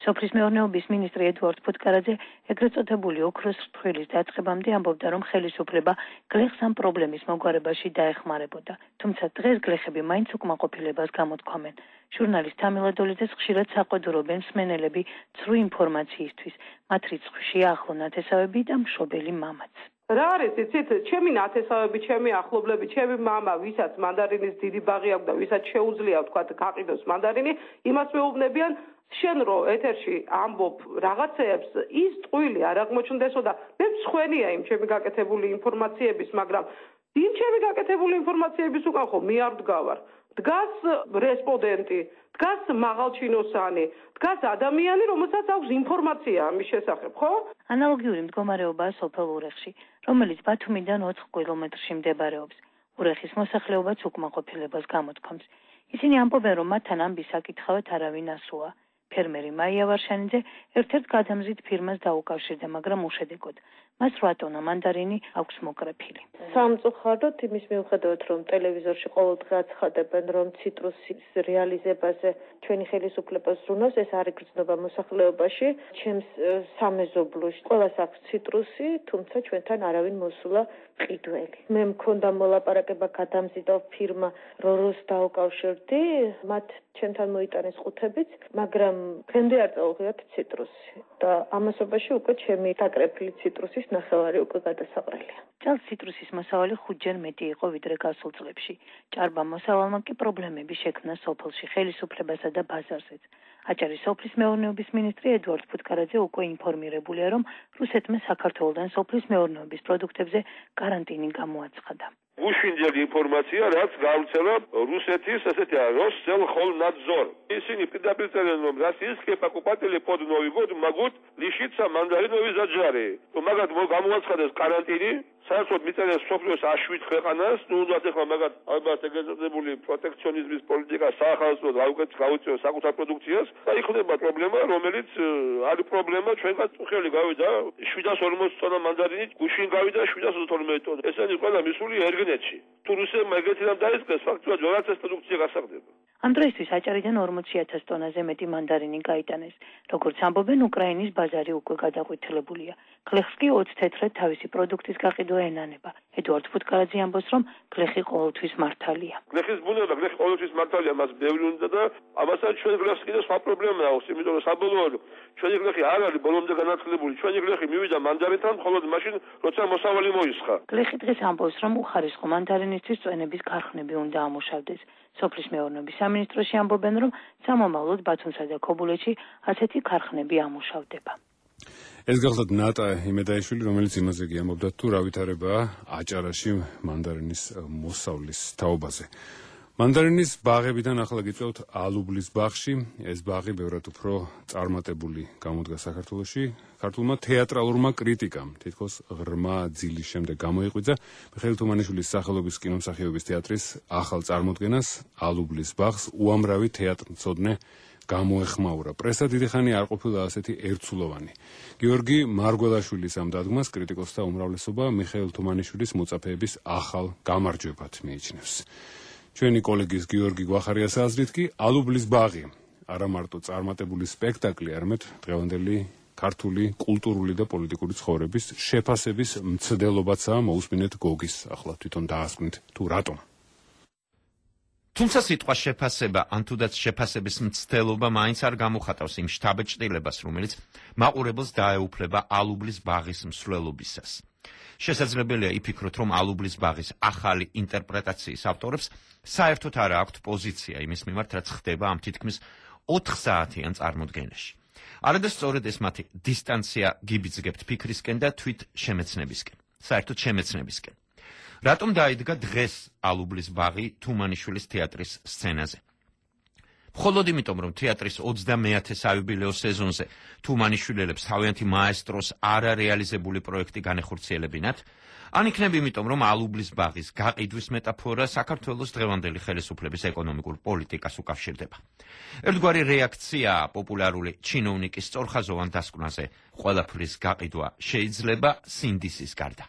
სოფლის მეურნეობის მინისტრი ედუარდ ფუტკარაძე ეგრეთ წოდებული ოქროს რთვილის დაწყებამდე ამბობდა, რომ ხელისუფლება გლეხს ამ პრობლემის მოგვარებაში დაეხმარებოდა. თუმცა დღეს გლეხები მაინც უკმაყოფილებას გამოთქვამენ. ჟურნალისტ თამელა დოლიძეს ხშირად საყვედურობენ მსმენელები ცრუ ინფორმაციისთვის, მათ რიცხვში ახლო ნათესავები და მშობელი მამაც. რა არის იცით, ჩემი ნათესავები, ჩემი ახლობლები, ჩემი მამა, ვისაც მანდარინის დიდი ბაღი აქვს და ვისაც შეუძლია თქვა გაყიდოს მანდარინი, იმას მეუბნებიან, შენ რო ეთერში ამბობ რაღაცეებს, ის ტყუილი არ აღმოჩნდესო და მე მსხვენია იმ ჩემი გაკეთებული ინფორმაციების, მაგრამ იმ ჩემი გაკეთებული ინფორმაციების უკან ხო მე არ ვდგავარ. დგას რესპონდენტი, დგას მაღალჩინოსანი, დგას ადამიანი, რომელსაც აქვს ინფორმაცია ამის შესახებ, ხო? ანალოგიური მდგომარეობაა სოფელ ურეხში, რომელიც ბათუმიდან ოთხ კილომეტრში მდებარეობს. ურეხის მოსახლეობაც უკმაყოფილებას გამოთქვამს. ისინი ამბობენ, რომ მათთან ამბის საკითხავად არავინ ასუა. ფერმერი მაია ვარშანიძე ერთ-ერთ გადამზიდ ფირმას დაუკავშირდა, მაგრამ უშედეგოდ. მას რვა ტონა მანდარინი აქვს მოკრეფილი. სამწუხაროდ იმის მიუხედავად, რომ ტელევიზორში ყოველდღე აცხადებენ, რომ ციტრუსის რეალიზებაზე ჩვენი ხელისუფლება ზრუნავს, ეს არ იგრძნობა მოსახლეობაში. ჩემს სამეზობლოში ყველას აქვს ციტრუსი, თუმცა ჩვენთან არავინ მოსულა ყიდველი. მე მქონდა მოლაპარაკება გადამზიდო ფირმა როროს დაუკავშირდი, მათ ჩვენთან მოიტანეს ყუთებიც, მაგრამ დღემდე არ წაუღიათ ციტრუსი და ამასობაში უკვე ჩემი დაკრეფილი ციტრუსის ნახევარი უკვე გადასაყრელია. წელს ციტრუსის მოსავალი ხუთჯერ მეტი იყო ვიდრე გასულ წლებში. ჭარბა მოსავალმა კი პრობლემები შექმნა სოფელში, ხელისუფლებასა და ბაზარზეც. აჭარის სოფლის მეურნეობის მინისტრი ედუარდ ფუტკარაძე უკვე ინფორმირებულია, რომ რუსეთმა საქართველოდან სოფლის მეურნეობის პროდუქტებზე карантиნის გამოაცხადა. უშინდელი ინფორმაცია, რაც გავრცელა რუსეთის, ასეთი როსელხოლნადზორ. ისინი პირდაპირ წერენ, რომ российские покупатели под Новый год могут лишиться мандариновой заджары. მაგათ გამოაცხადეს карантиნის საერთოდ მიწერეს სოფლიოს აშვით ქვეყანას, ნუ უნდა ეხლა მაგათ ალბათ ეგრეთ წოდებული პროტექციონიზმის პოლიტიკა საახალწლოდ გაუწიოს საკუთარ პროდუქციას და იქნება პრობლემა, რომელიც არის პრობლემა ჩვენგან წუხელი გავიდა შვიდას ორმოცი ტონა მანდარინით, გუშინ გავიდა შვიდას ოცდაათი ტონა. ესენი ყველა მისული ერგნეთში. თუ რუსებმა ეგეთი რამ დაიწყეს, ფაქტობრივად ვეღარც ეს პროდუქცია გასაღდება. ამ დროისთვის აჭარიდან ორმოცი ათას ტონაზე მეტი მანდარინი გაიტანეს. როგორც ამბობენ, უკრაინის ბაზარი უკვე გადაყვითელებულია. გლეხს კი ოცი თეთრად თავისი პროდუქტის გაყიდვა ენანება. ედუარდ ფუტკარაძე ამბობს, რომ გლეხი ყოველთვის მართალია. გლეხის ბუნება, გლეხი ყოველთვის მართალია, მას ბევრი უნდა და ამასაც ჩვენ გლეხს კიდევ სხვა პრობლემა აქვს, იმიტომ რომ საბოლოოდ ჩვენი გლეხი არ არის ბოლომდე განათლებული. ჩვენი გლეხი მივიდა მანდარინთან, მხოლოდ მაშინ, როცა მოსავალი მოისხა. გლეხი დღეს ამბობს, რომ უხარისხო მანდარინისთვის წვენების ქარხნები უნდა ამუშავდეს. სოფლის მეურნეობის სამინისტროში ამბობენ, რომ სამომავლოდ ბათუმსა და ქობულეთში ასეთი ქარხნები ამუშავდება. ეს გახლავთ ნატა იმედაიშვილი, რომელიც იმაზე კი ამბობდა, თუ რა ვითარებაა აჭარაში მანდარინის მოსავლის თაობაზე. მანდარინის ბაღებიდან ახლა გიწევთ ალუბლის ბაღში. ეს ბაღი ბევრად უფრო წარმატებული გამოდგა საქართველოში. ქართულმა თეატრალურმა კრიტიკამ თითქოს ღრმა ძილის შემდეგ გამოიღვიძა მიხეილ თუმანიშვილის სახელობის კინომსახიობის თეატრის ახალ წარმოდგენას ალუბლის ბაღს უამრავი თეატრმცოდნე გამოეხმაურა. პრესა დიდი ხანი არ ყოფილა ასეთი ერთსულოვანი. გიორგი მარგველაშვილის ამ დადგმას კრიტიკოსთა უმრავლესობა მიხეილ თუმანიშვილის მოწაფეების ახალ გამარჯვებად მიიჩნევს. ჩვენი კოლეგის გიორგი გვახარიას აზრით კი ალუბლის ბაღი არა მარტო წარმატებული სპექტაკლი, არამედ დღევანდელი ქართული კულტურული და პოლიტიკური ცხოვრების შეფასების მცდელობაცაა. მოусმინეთ გოგის ახლა თვითონ დაასკვნით თუ რატომ. თუმცა სიტყვა შეფასება ან თუდაც შეფასების მცდელობა მაინც არ გამოხატავს იმ შთაბეჭდილებას, რომელიც მაყურებელს დაეუფლება ალუბლის ბაღის მსვლელობისას. შესაძლებელია იფიქროთ, რომ ალუბლის ბაღის ახალი ინტერპრეტაციის ავტორებს საერთოდ არ აქვთ პოზიცია იმის მიმართ, რაც ხდება ამ თითქმის ოთხ საათიან წარმოდგენაში. არადა სწორედ ეს მათი დისტანცია გიბიძგებთ ფიქრისკენ და თვით შემეცნებისკენ, საერთოდ შემეცნებისკენ. რატომ დაიდგა დღეს ალუბლის ბაღი თუმანიშვილის თეატრის სცენაზე? მხოლოდ იმიტომ, რომ თეატრის ოცდამეათე საიუბილეო სეზონზე თუმანიშვილელებს თავიანთი მაესტროს არარეალიზებული პროექტი განეხორციელებინათ, ან იქნება იმიტომ, რომ ალუბლის ბაღის გაყიდვის მეტაფორა საქართველოს დღევანდელი ხელისუფლების ეკონომიკურ პოლიტიკას უკავშირდება. ერთგვარი რეაქციაა პოპულარული ჩინოვნიკის სწორხაზოვან დასკვნაზე ყველაფრის გაყიდვა შეიძლება სინდისის გარდა.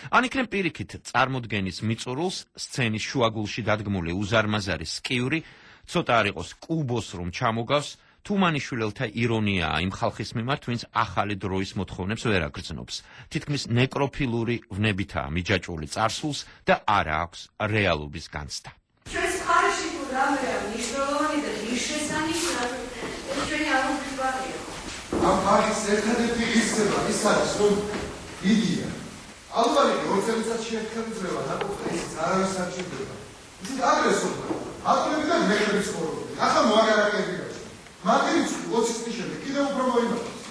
ან იქნებ პირიქით წარმოდგენის მიწურულს სცენის შუაგულში დადგმული უზარმაზარი სკიური ცოტა არ იყოს კუბოს რომ ჩამოგავს, თუმანიშვილელთა ირონიაა იმ ხალხის მიმართ, ვინც ახალი დროის მოთხოვნებს ვერ აგრძნობს. თითქმის ნეკროფილური ვნებითაა მიჯაჭვული წარსულს და არა აქვს რეალობის განცდა. ჩვენს მხარეში თუ რამეა მნიშვნელოვანი და ღირსშესანიშნავი, ეს ჩვენი ალუბლის ბაღია. ამ ბაღის ერთადერთი ღირსება ის არის, რომ იდეა ალბათ ორ წელიწადში ერთხელ ძლევა ნაკოფა, ისიც არავის არ ჭირდება. ისიც აგრესორია. აკლებდა და მეხების ხორობი. ახლა მოაგარაკები გაჩნდა. მაგერიც ოცი წლის შემდეგ კიდევ უფრო მოიმართოს.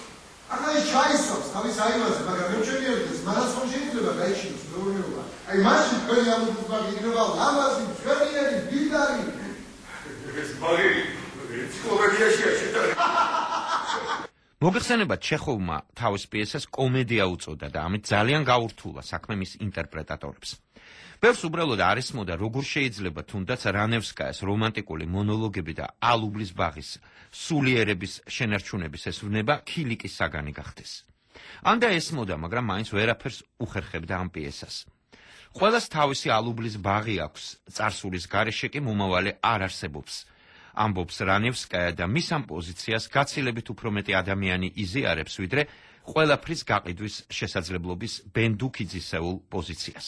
ახლა ის ჩაისვამს თავის აივაზე, მაგრამ მე მჩვენი ერთის, მას ხომ შეიძლება გაიჩინოს მეურნეობა. აი მაშინ თქვენი ალუბლის ბაღი იქნება ლამაზი, ძვირიანი, ბილდარი. ეს ბაღი ენციკლოპედიაში შეჭრა. მოგეხსენება ჩეხოვმა თავის პიესას კომედია უწოდა და ამით ძალიან გაურთულა საქმე მის ინტერპრეტატორებს. ბევრს უბრალოდ არ ესმოდა, როგორ შეიძლება თუნდაც რანევსკაიას რომანტიკული მონოლოგები და ალუბლის ბაღის სულიერების შენარჩუნების ეს ვნება ქილიკის საგანი გახდეს. ან და ესმოდა, მაგრამ მაინც ვერაფერს უხერხებდა ამ პიესას. ყველას თავისი ალუბლის ბაღი აქვს, წარსულის გარეშე კი მომავალი არ არსებობს. ამბობს რანევსკაია და მის ამ პოზიციას გაცილებით უფრო მეტი ადამიანი იზიარებს, ვიდრე ყველაფრის გაყიდვის შესაძლებლობის ბენდუქიძისეულ პოზიციას.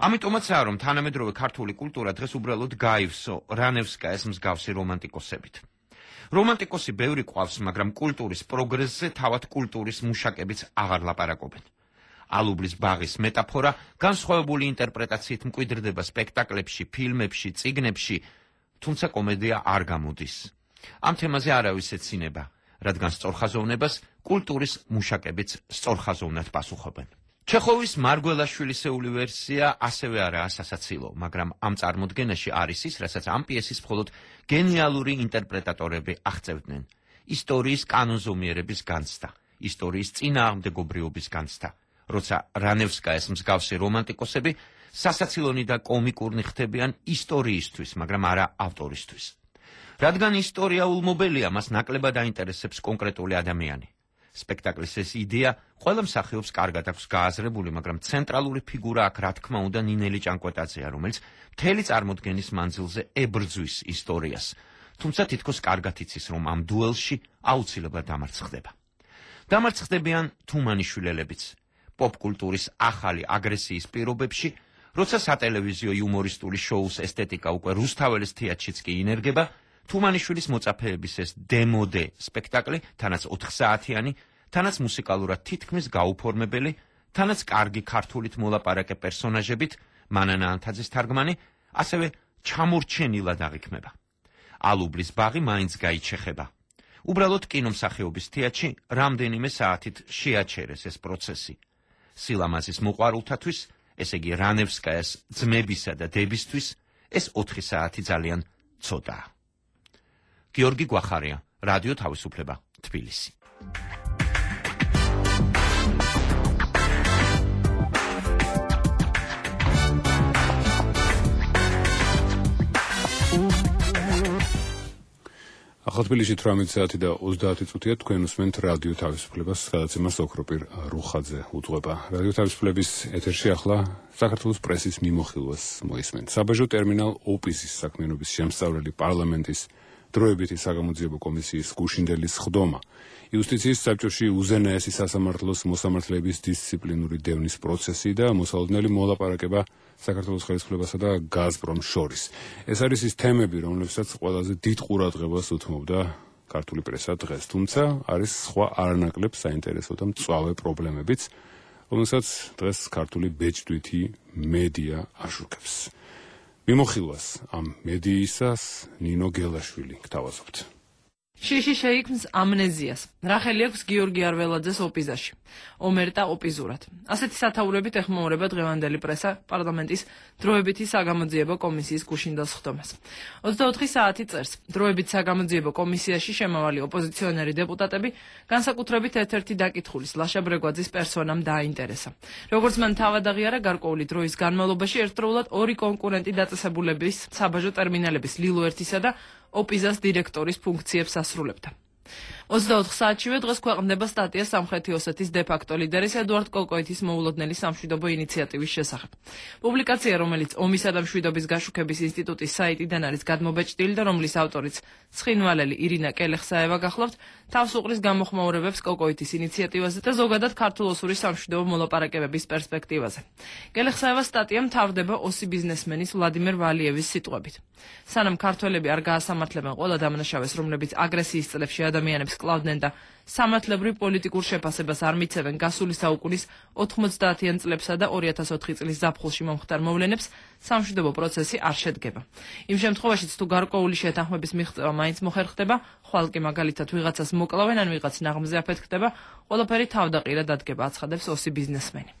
ამიტომაცაა, რომ თანამედროვე ქართული კულტურა დღეს უბრალოდ გაივსო რანევსკაიას მსგავსი რომანტიკოსებით. რომანტიკოსი ბევრი ყავს, მაგრამ კულტურის პროგრესზე თავად კულტურის მუშაკებიც აღარ ლაპარაკობენ. ალუბლის ბაღის მეტაფორა განსხვავებული ინტერპრეტაციით მკვიდრდება სპექტაკლებში, ფილმებში, წიგნებში, თუმცა კომედია არ გამოდის. ამ თემაზე არავის ეცინება, რადგან სწორხაზოვნებას კულტურის მუშაკებიც სწორხაზოვნად პასუხობენ. ჩეხოვის მარგველაშვილისეული ვერსია ასევე არაა სასაცილო, მაგრამ ამ წარმოდგენაში არის ის, რასაც ამ პიესის მხოლოდ გენიალური ინტერპრეტატორები აღწევდნენ. ისტორიის კანონზომიერების განცდა, ისტორიის წინააღმდეგობრიობის განცდა, როცა რანევსკაის მსგავსი რომანტიკოსები სასაცილონი და კომიკურნი ხდებიან ისტორიისთვის, მაგრამ არა ავტორისთვის. რადგან ისტორიაულ მობელია მას ნაკლებად აინტერესებს კონკრეტული ადამიანი. სპექტაკლის ეს იდეა ყველა მსახიობს კარგად აქვს გააზრებული, მაგრამ ცენტრალური ფიგურა აქ რა თქმა უნდა ნინელი ჭანკვეტაძეა, რომელიც მთელი წარმოდგენის მანძილზე ებრძვის ისტორიას, თუმცა თითქოს კარგად იცის, რომ ამ დუელში აუცილებლად დამარცხდება. დამარცხდებიან თუმანიშვილელებიც, პოპკულტურის ახალი აგრესიის პირობებში, როცა სატელევიზიო იუმორისტული შოუს ესთეტიკა უკვე რუსთაველის თეატრშიც კი ინერგება, თუმანიშვილის მოწაფეების ეს დემოდე სპექტაკლი, თანაც ოთხ საათიანი, თანაც მუსიკალურად თითქმის გაუფორმებელი, თანაც კარგი ქართულით მოლაპარაკე პერსონაჟებით, მანანა ანთაძის თარგმანი, ასევე ჩამორჩენილად აღიქმება. ალუბლის ბაღი მაინც გაიჩეხება. უბრალოდ კინომსახიობის თეატრში რამდენიმე საათით შეაჩერეს ეს პროცესი. სილამაზის მოყვარულთათვის, ესე იგი რანევსკაიას ძმებისა და დებისთვის, ეს ოთხი საათი ძალიან ცოტაა. გიორგი გვახარია, რადიო თავისუფლება, თბილისი. ახალ თბილისში თვრამეტი საათი და ოცდაათი წუთია, თქვენ უსმენთ რადიო თავისუფლებას, გადაცემას ოქროპირ რუხაძე უძღვება. რადიო თავისუფლების ეთერში ახლა საქართველოს პრესის მიმოხილვას მოისმენთ. საბაჟო ტერმინალ ოპიზის საქმიანობის შემსწავლელი პარლამენტის დროებითი საგამოძიებო კომისიის გუშინდელის ხდომა, იუსტიციის საბჭოში უზენაესი სასამართლოს მოსამართლეების დისციპლინური დევნის პროცესი და მოსალოდნელი მოლაპარაკება საქართველოს ხელისუფლებასა და გაზპრომს შორის. ეს არის ის თემები, რომლებსაც ყველაზე დიდ ყურადღებას უთმობდა ქართული პრესა დღეს, თუმცა არის სხვა არანაკლებ საინტერესო და მწვავე პრობლემებიც, რომელსაც დღეს ქართული ბეჭდვითი მედია აშუქებს. მიმოხილვას ამ მედიისას ნინო გელაშვილი გთავაზობთ. შიში შეიქმს ამნეზიას. რახელი აქვს გიორგი არველაძეს ოპიზაში. ომერტა ოპიზურად. ასეთი სათაურებით ეხმაურება დღევანდელი პრესა პარლამენტის დროებითი საგამოძიებო კომისიის გუშინდელს ხდომას. ოცდაოთხი საათი წერს. დროებით საგამოძიებო კომისიაში შემავალი ოპოზიციონერი დეპუტატები განსაკუთრებით ერთ-ერთი დაკითხulis ლაშა ბრეგვაძის პერსონამ დააინტერესა. როგორც მან თავად აღიარა, გარკვეული დროის განმავლობაში ერთდროულად ორი კონკურენტი დაწესებულების საბაჟო ტერმინალების ლილო ერთისა და ოპიზას დირექტორის ფუნქციებს ასრულებდა. ოცდაოთხ საათშივე დღეს ქვეყნდება სტატია სამხრეთი ოსეთის დე-ფაქტო ლიდერის ედუარდ კოკოეთის მოულოდნელი სამშვიდობო ინიციატივის შესახებ. პუბლიკაცია, რომელიც ომისა და მშვიდობის გაშუქების ინსტიტუტის საიტიდან არის გადმობეჭდილი და რომლის ავტორიც ცხინვალელი ირინა კელეხსაევა გახლავთ, თავს უყრის გამოხმაურებებს კოკოეთის ინიციატივაზე და ზოგადად ქართულ-ოსური სამშვიდობო მოლაპარაკებების პერსპექტივაზე. კელეხსაევას სტატია მთავრდება ოსი ბიზნესმენის ვლადიმერ ვალიევის სიტყვებით. სანამ ქართველები არ გაასამართლებენ ყველა დამნაშავეს, რომლებიც აგრესიის წლებში ადამიანებს კლავდნენ და სამართლებრივ პოლიტიკურ შეფასებას არ მიცევენ გასული საუკუნის ოთხმოცდაათიან წლებსა და ორი ათას ოთხი წლის ზაფხულში მომხდარ მოვლენებს, სამშვიდობო პროცესი არ შედგება. იმ შემთხვევაშიც თუ გარკვეული შეთანხმების მიღწევა მაინც მოხერხდება, ხვალ კი მაგალითად ვიღაცას მოკლავენ ან ვიღაც ნაღმზე აფეთქდება, ყველაფერი თავდაყირად ადგება, აცხადებს ოსი ბიზნესმენი.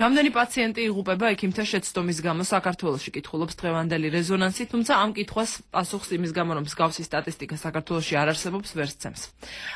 რამდენი პაციენტი იღუპება ექიმთა შეცდომის გამო საქართველოში, კითხულობს დღევანდელი რეზონანსი, თუმცა ამ კითხვას პასუხს იმის გამო, რომ მსგავსი სტატისტიკა საქართველოში არ არსებობს, ვერ სცემს.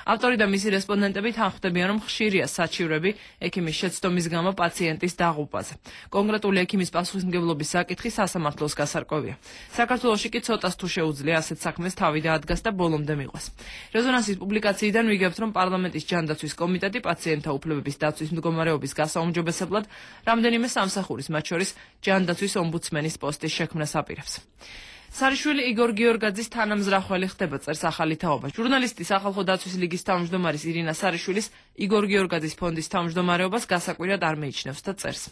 ავტორი და მისი რესპონდენტები თანხმდებიან, რომ ხშირია საჩივრები ექიმის შეცდომის გამო პაციენტის დაღუპვაზე. კონკრეტული ექიმის პასუხისმგებლობის საკითხი სასამართლოს გასარკვევია. საქართველოში კი ცოტას თუ შეუძლია ასეთ საქმეს თავი დაადგას და ბოლომდე მიყვას. რეზონანსის პუბლიკაციიდან ვიგებთ, რომ პარლამენტის ჯანდაცვის კომიტეტი პაციენტთა უფლებების დაცვის მდგომარეობის გასაუმჯობესებლად რამდენიმე სამსახურის, მათ შორის ჯანდაცვის ომბუდსმენის პოსტის შექმნას აპირებს. სარიშვილი იგორ გიორგაძის თანამზრახველი ხდება, წერს ახალი თაობა. ჟურნალისტი სახალხო დაცვის ლიგის თავმჯდომარის ირინა სარიშვილის იგორ გიორგაძის ფონდის თავმჯდომარეობას გასაკვირად არ მეიჩნევს და წერს.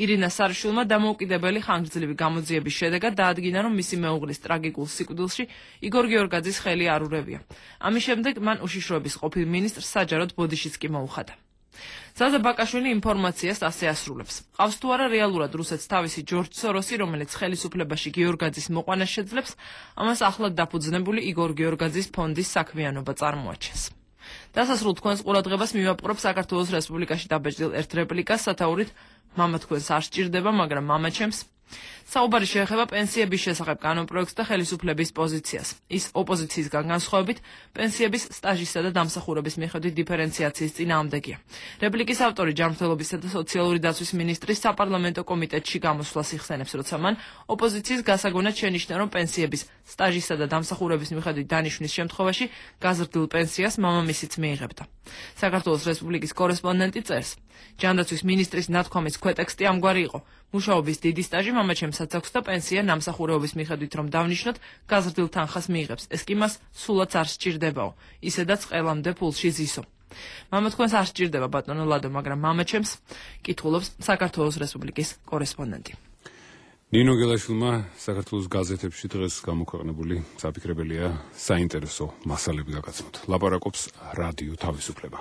ირინა სარიშვილმა დამოუკიდებელი ხანგრძლივი გამოძიების შედეგად დაადგინა, რომ მისი მეუღლის ტრაგიკულ სიკვდილში იგორ გიორგაძის ხელი არ ურევია. ამის შემდეგ მან უშიშროების ყოფილ მინისტრს საჯაროდ ბოდიშიც კი მოუხადა. ზაზა ბაკაშვილი ინფორმაციას ასე ასრულებს. ყავს თუ არა რეალურად რუსეთს თავისი ჯორჯ სოროსი, რომელიც ხელისუფლებაში გიორგაძის მოყვანას შეძლებს, ამას ახლად დაფუძნებული იგორ გიორგაძის ფონდის საქმიანობა წარმოაჩენს. დასასრულ თქვენს ყურადღებას მივაპყრობ საქართველოს რესპუბლიკაში დაბეჭდილ ერთ რეპლიკას სათაურით მამა თქვენს არ სჭირდება, მაგრამ მამა ჩემს. საუბარი შეეხება პენსიების შესახებ კანონპროექტს და ხელისუფლების პოზიციას. ის ოპოზიციისგან განსხვავებით პენსიების სტაჟისა და დამსახურების მიხედვით დიფერენციაციის წინააღმდეგია. რეპლიკის ავტორი ჯანმრთელობისა და სოციალური დაცვის მინისტრის საპარლამენტო კომიტეტში გამოსვლას იხსენებს, როცა მან ოპოზიციის გასაგონად შენიშნა, რომ პენსიების სტაჟისა და დამსახურების მიხედვით დანიშვნის შემთხვევაში გაზრდილ პენსიას მამამისიც მიიღებდა. საქართველოს რესპუბლიკის კორესპონდენტი წერს, ჯანდაცვის მინისტრის ნათქვამის ქვეტექსტი ამგვარი იყო: მუშაობის დიდი სტაჟი მამაჩემსაც აქვს და პენსია ნამსახურეობის მიხედვით რომ დავნიშნოთ, გაზრდილ თანხას მიიღებს. ეს კი მას სულაც არ სჭირდებაო, ისედაც ყველამდე ფულში ზისო. მამა თქვენს არ სჭირდება ბატონო ლადო, მაგრამ მამაჩემს, კითხულობს საქართველოს რესპუბლიკის კორესპონდენტი. ნინო გელაშვილმა საქართველოს გაზეთებში დღეს გამოქვეყნებული საფიქრებელია საინტერესო მასალები გაგაცნოთ. ლაპარაკობს რადიო თავისუფლება.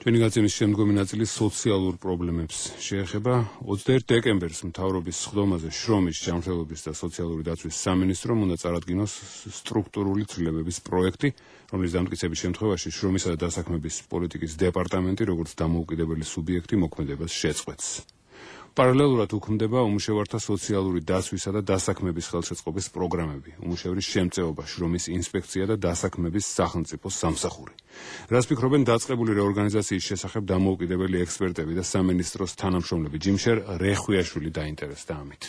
ჩვენი გაცემის შემდგომი ნაწილი სოციალურ პრობლემებს შეეხება. ოცდაერთი დეკემბერს მთავრობის სხდომაზე შრომის, ჯანმრთელობის და სოციალური დაცვის სამინისტრომ უნდა წარადგინოს სტრუქტურული ცვლილებების პროექტი, რომლის დამტკიცების შემთხვევაში შრომისა და დასაქმების პოლიტიკის დეპარტამენტი როგორც დამოუკიდებელი სუბიექტი მოქმედებას შეწყვეტს. პარალელურად უქმდება უმუშევართა სოციალური დაცვისა და დასაქმების ხელშეწყობის პროგრამები, უმუშევრის შემწეობა, შრომის ინსპექცია და დასაქმების სახელმწიფო სამსახური. რას ფიქრობენ დაწყებული რეორგანიზაციის შესახებ დამოუკიდებელი ექსპერტები და სამინისტროს თანამშრომლები? ჯიმშერ რეხვიაშვილი დაინტერესდა ამით.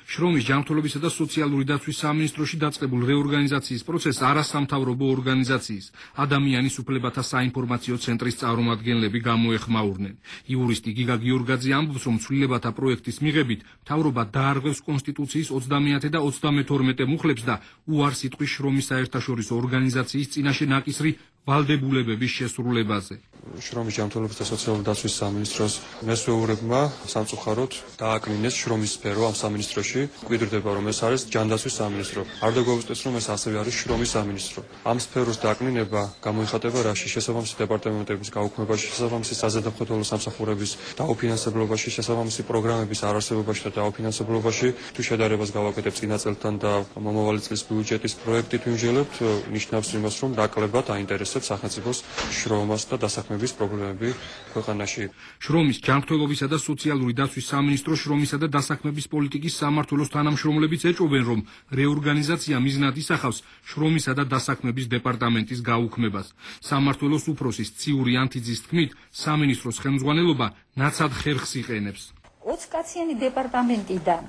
შრომის, ჯანმრთელობისა და სოციალური დაცვის სამინისტროში დაწყებულ რეორგანიზაციის პროცესს არასამთავრობო ორგანიზაციის ადამიანის უფლებათა საინფორმაციო ცენტრის წარმომადგენლები გამოეხმაურნენ. იურისტი გიგა გიორგაძე ამბობს, რომ ცვლილებათა პროექტის მიღებით მთავრობა დაარღვევს კონსტიტუციის ოცდამეათე და ოცდამეთორმეტე მუხლებს და უარს იტყვის შრომის საერთაშორისო ორგანიზაციის წინაშე ნაკისრი ვალდებულებების შესრულებაზე. შრომის, ჯანმრთელობის და სოციალური დაცვის სამინისტროს მესვეურებმა სამწუხაროდ დააკნინეს შრომის სფერო ამ სამინისტროში. გვიდრდება, რომ ეს არის ჯანდაცვის სამინისტრო. არ დაგვეუბნეს, რომ ეს ასევე არის შრომის სამინისტრო. ამ სფეროს დააკნინება გამოიხატება რაში? შესაბამისი დეპარტამენტების გაუქმებაში, შესაბამისი საზედამხედველო სამსახურების დაუფინანსებლობაში, შესაბამისი პროგრამების არარსებობაში და დაუფინანსებლობაში. თუ შედარებას გავაკეთებ წინა წელთან და მომავალი წლის ბიუჯეტის პროექტით ვიმსჯელებთ, ნიშნავს იმას, რომ დაკლებად აინტერესებს სახელმწიფოს შრომას და დასაქმების პრობლემები ქვეყანაში. შრომის, ჯანმრთელობისა და სოციალური დაცვის სამინისტრო შრომისა და დასაქმების პოლიტიკის სამმართველოს თანამშრომლებიც ეჭვობენ, რომ რეორგანიზაცია მიზნად ისახავს შრომისა და დასაქმების დეპარტამენტის გაუქმებას. სამმართველოს უფროსის ციური ანთიძის თქმით, სამინისტროს ხელმძღვანელობა ნაცად ხერხს იყენებს. ოცკაციანი დეპარტამენტიდან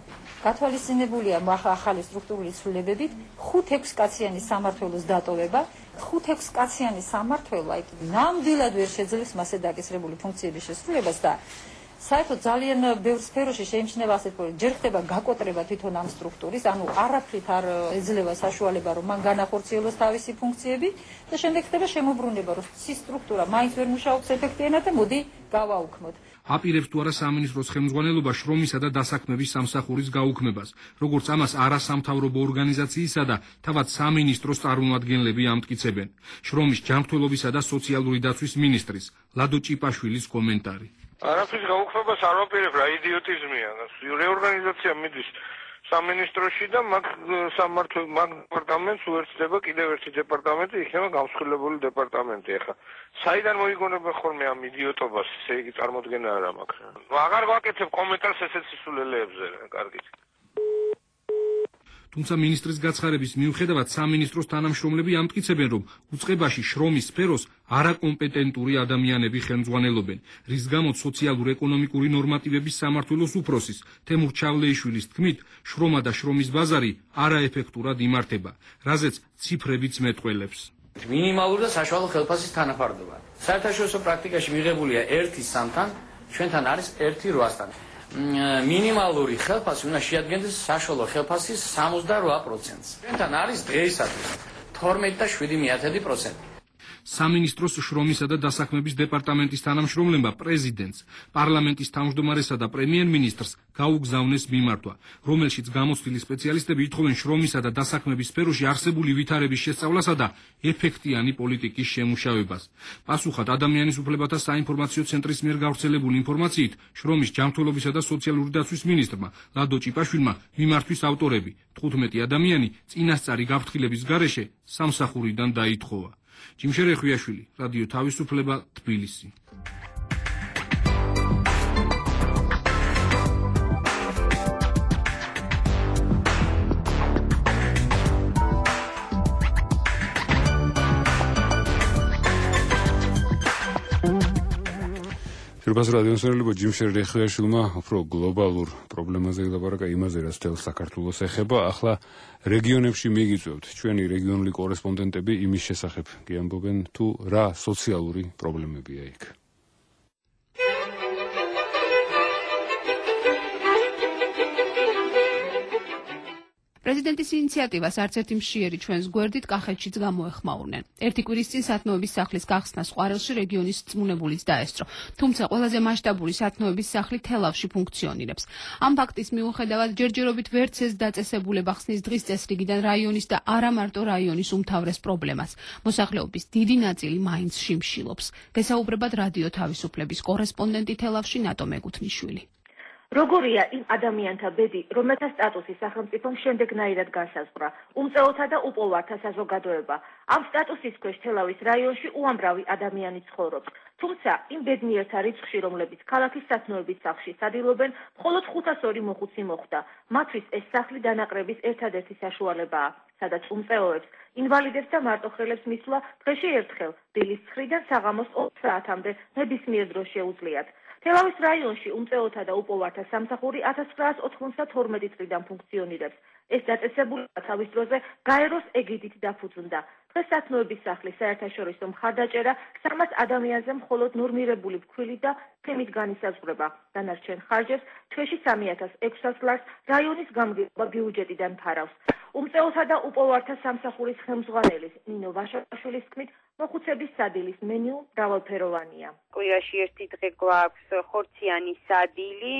გათვალისწინებულია ახალი სტრუქტურული ცვლილებებით ხუთ-ექვს კაციანი სამმართველოს დატოვება. ხუთ-ექვს კაციანი სამმართველო ნამდვილად ვერ შეძლებს მასზე დაკისრებული ფუნქციების შესრულებას და საერთოდ ძალიან ბევრ სფეროში შეიმჩნევა ასეთ პრობლემა. ჯერ ხდება გაკოტრება თვითონ ამ სტრუქტურის, ანუ არაფრით არ ეძლევა საშუალება, რომ მან განახორციელოს თავისი ფუნქციები და შემდეგ ხდება შემოbrunება, რომ ცი სტრუქტურა მაინც ვერ მუშაობს ეფექტიანად და მოდი გავაუქმოთ. აპირებს თუ არა სამინისტროს ხელმძღვანელობა შრომისა და დასაქმების სამსახურის გაუქმებას, როგორც ამას არასამთავრობო ორგანიზაციისა და თავად სამინისტროს წარმომადგენლები ამტკიცებენ. შრომის, ჯანმრთელობისა და სოციალური დაცვის მინისტრის ლადო ჭიპაშვილის კომენტარი. არაფრის გაუქმებას არ ვაპირებ, რა იდიოტიზმია. რეორგანიზაცია მიდის სამინისტროში და მაგ სამმართველო მაგ დეპარტამენტს უერთდება კიდევ ერთი დეპარტამენტი, იქნება გამსხვილებული დეპარტამენტი. ახლა საიდან მოიგონება ხოლმე ამ იდიოტობას? ესე იგი წარმოდგენა არ მაქვს. აღარ ვაკეთებ კომენტარს ესეთ სისულელეებზე, კარგით. თუმცა მინისტრის გაცხარების მიუხედავად სამინისტროს თანამშრომლები ამტკიცებენ, რომ უწყებაში შრომის სფეროს არაკომპეტენტური ადამიანები ხელმძღვანელობენ, რის გამოც სოციალურ-ეკონომიკური ნორმატივების სამმართველოს უფროსის თემურ ჩავლეიშვილის თქმით, შრომა და შრომის ბაზარი არაეფექტურად იმართება, რაზეც ციფრებიც მეტყველებს. მინიმალური და საშუალო ხელფასის თანაფარდობა. საერთაშორისო პრაქტიკაში მიღებულია ერთი სამთან, ჩვენთან არის ერთი რვასთან. მინიმალური ხელფასი უნდა შეადგენდეს საშუალო ხელფასის სამოცდარვა პროცენტს. ჩვენთან არის დღეისათვის თორმეტი და შვიდი მეათედი პროცენტი. სამინისტროს შრომისა და დასაქმების დეპარტამენტის თანამშრომლებმა პრეზიდენტს, პარლამენტის თავმჯდომარესა და პრემიერ-მინისტრს გაუგზავნეს მიმართვა, რომელშიც გამოცდილი სპეციალისტები ითხოვენ შრომისა და დასაქმების სფეროში არსებული ვითარების შესწავლასა და ეფექტიანი პოლიტიკის შემუშავებას. პასუხად ადამიანის უფლებათა საინფორმაციო ცენტრის მიერ გავრცელებული ინფორმაციით, შრომის, ჯანმრთელობისა და სოციალური დაცვის მინისტრმა ლადო ჭიპაშვილმა მიმართვის ავტორები თხუთმეტი ადამიანი წინასწარი გაფრთხილების გარეშე სამსახურიდან დაითხოვა. ჯიმშერე ხვიაშვილი, რადიო თავისუფლება, თბილისი. Firmas რადიოსმენელებო ჯიმშერ რეხვიაშვილმა უფრო გლობალურ პრობლემაზე ილაპარაკა, იმაზე რაც თელ საქართველოს ეხება. ახლა რეგიონებში მიგიწევთ ჩვენი რეგიონული კორესპონდენტები იმის შესახებ გიამბობენ თუ რა სოციალური პრობლემებია იქ. პრეზიდენტის ინიციატივას არც ერთი მშიერი ჩვენს გვერდით კახეთშიც გამოეხმაურნენ. ერთი კვირის წინ სათნოების სახლის გახსნა სყვარელში რეგიონის რწმუნებულიც დაესწრო. თუმცა ყველაზე მასშტაბური სათნოების სახლი თელავში ფუნქციონირებს. ამ ფაქტის მიუხედავად ჯერჯერობით ვერც ეს დაწესებულება ხსნის დღის წესრიგიდან რაიონის და არა მარტო რაიონის უმთავრეს პრობლემას. მოსახლეობის დიდი ნაწილი მაინც შიმშილობს. გესაუბრებად რადიო თავისუფლების კორესპონდენტი თელავში ნატო მეგუთმიშვილი. როგორია იმ ადამიანთა ბედი, რომელთა სტატუსი სახელმწიფომ შემდეგნაირად განსაზღვრა, უმწეოთა და უპოვართა საზოგადოება. ამ სტატუსის ქვეშ თელავის რაიონში უამრავი ადამიანი ცხოვრობს. თუმცა იმ ბედნიერთა რიცხვში, რომლებიც ქალაქის სათნოების სახლში სადილობენ, მხოლოდ ხუთას ორი მოხუცი მოხვდა. მათთვის ეს სახლი დანაყრების ერთადერთი საშუალებაა, სადაც უმწეოებს, ინვალიდებს და მარტოხელებს მისვლა დღეში ერთხელ, დილის ცხრიდან საღამოს ოთხ საათამდე ნებისმიერ დროს შეუძლიათ. თელავის რაიონში უმწეოთა და უპოვართა სამსახური ათას ცხრაას ოთხმოცდათორმეტი წლიდან ფუნქციონირებს. ეს დაწესებულება თავის დროზე გაეროს ეგიდით დაფუძნდა. დღეს სათნოების სახლის საერთაშორისო მხარდაჭერა სამას ადამიანზე მხოლოდ ნორმირებული ფქვილი და თემით განისაზღვრება. დანარჩენ ხარჯებს თვეში სამი ათას ექვსას ლარს რაიონის გამგეობა ბიუჯეტიდან ფარავს. უმწეოთა და უპოვართა სამსახურის ხელმძღვანელის ნინო ვაშაშვილის თქმით, მოხუცების სადილის მენიუ მრავალფეროვანია. კვირაში ერთი დღე გვაქვს ხორციანი სადილი,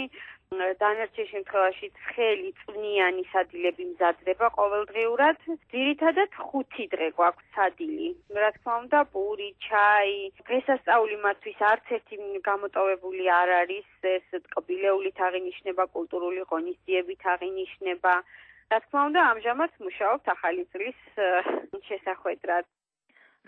დანარჩენ შემთხვევაში ცხელი წვნიანი სადილები მზადდება ყოველდღიურად. ძირითადად ხუთი დღე გვაქვს სადილი. რა თქმა უნდა, პური, ჩაი, დღესასწაული მათთვის არც ერთი გამოტოვებული არ არის. ეს ტკბილეულით აღინიშნება, კულტურული ღონისძიებით აღინიშნება. რა თქმა უნდა, ამჟამად მუშაობთ ახალი წლის შესახვედრად.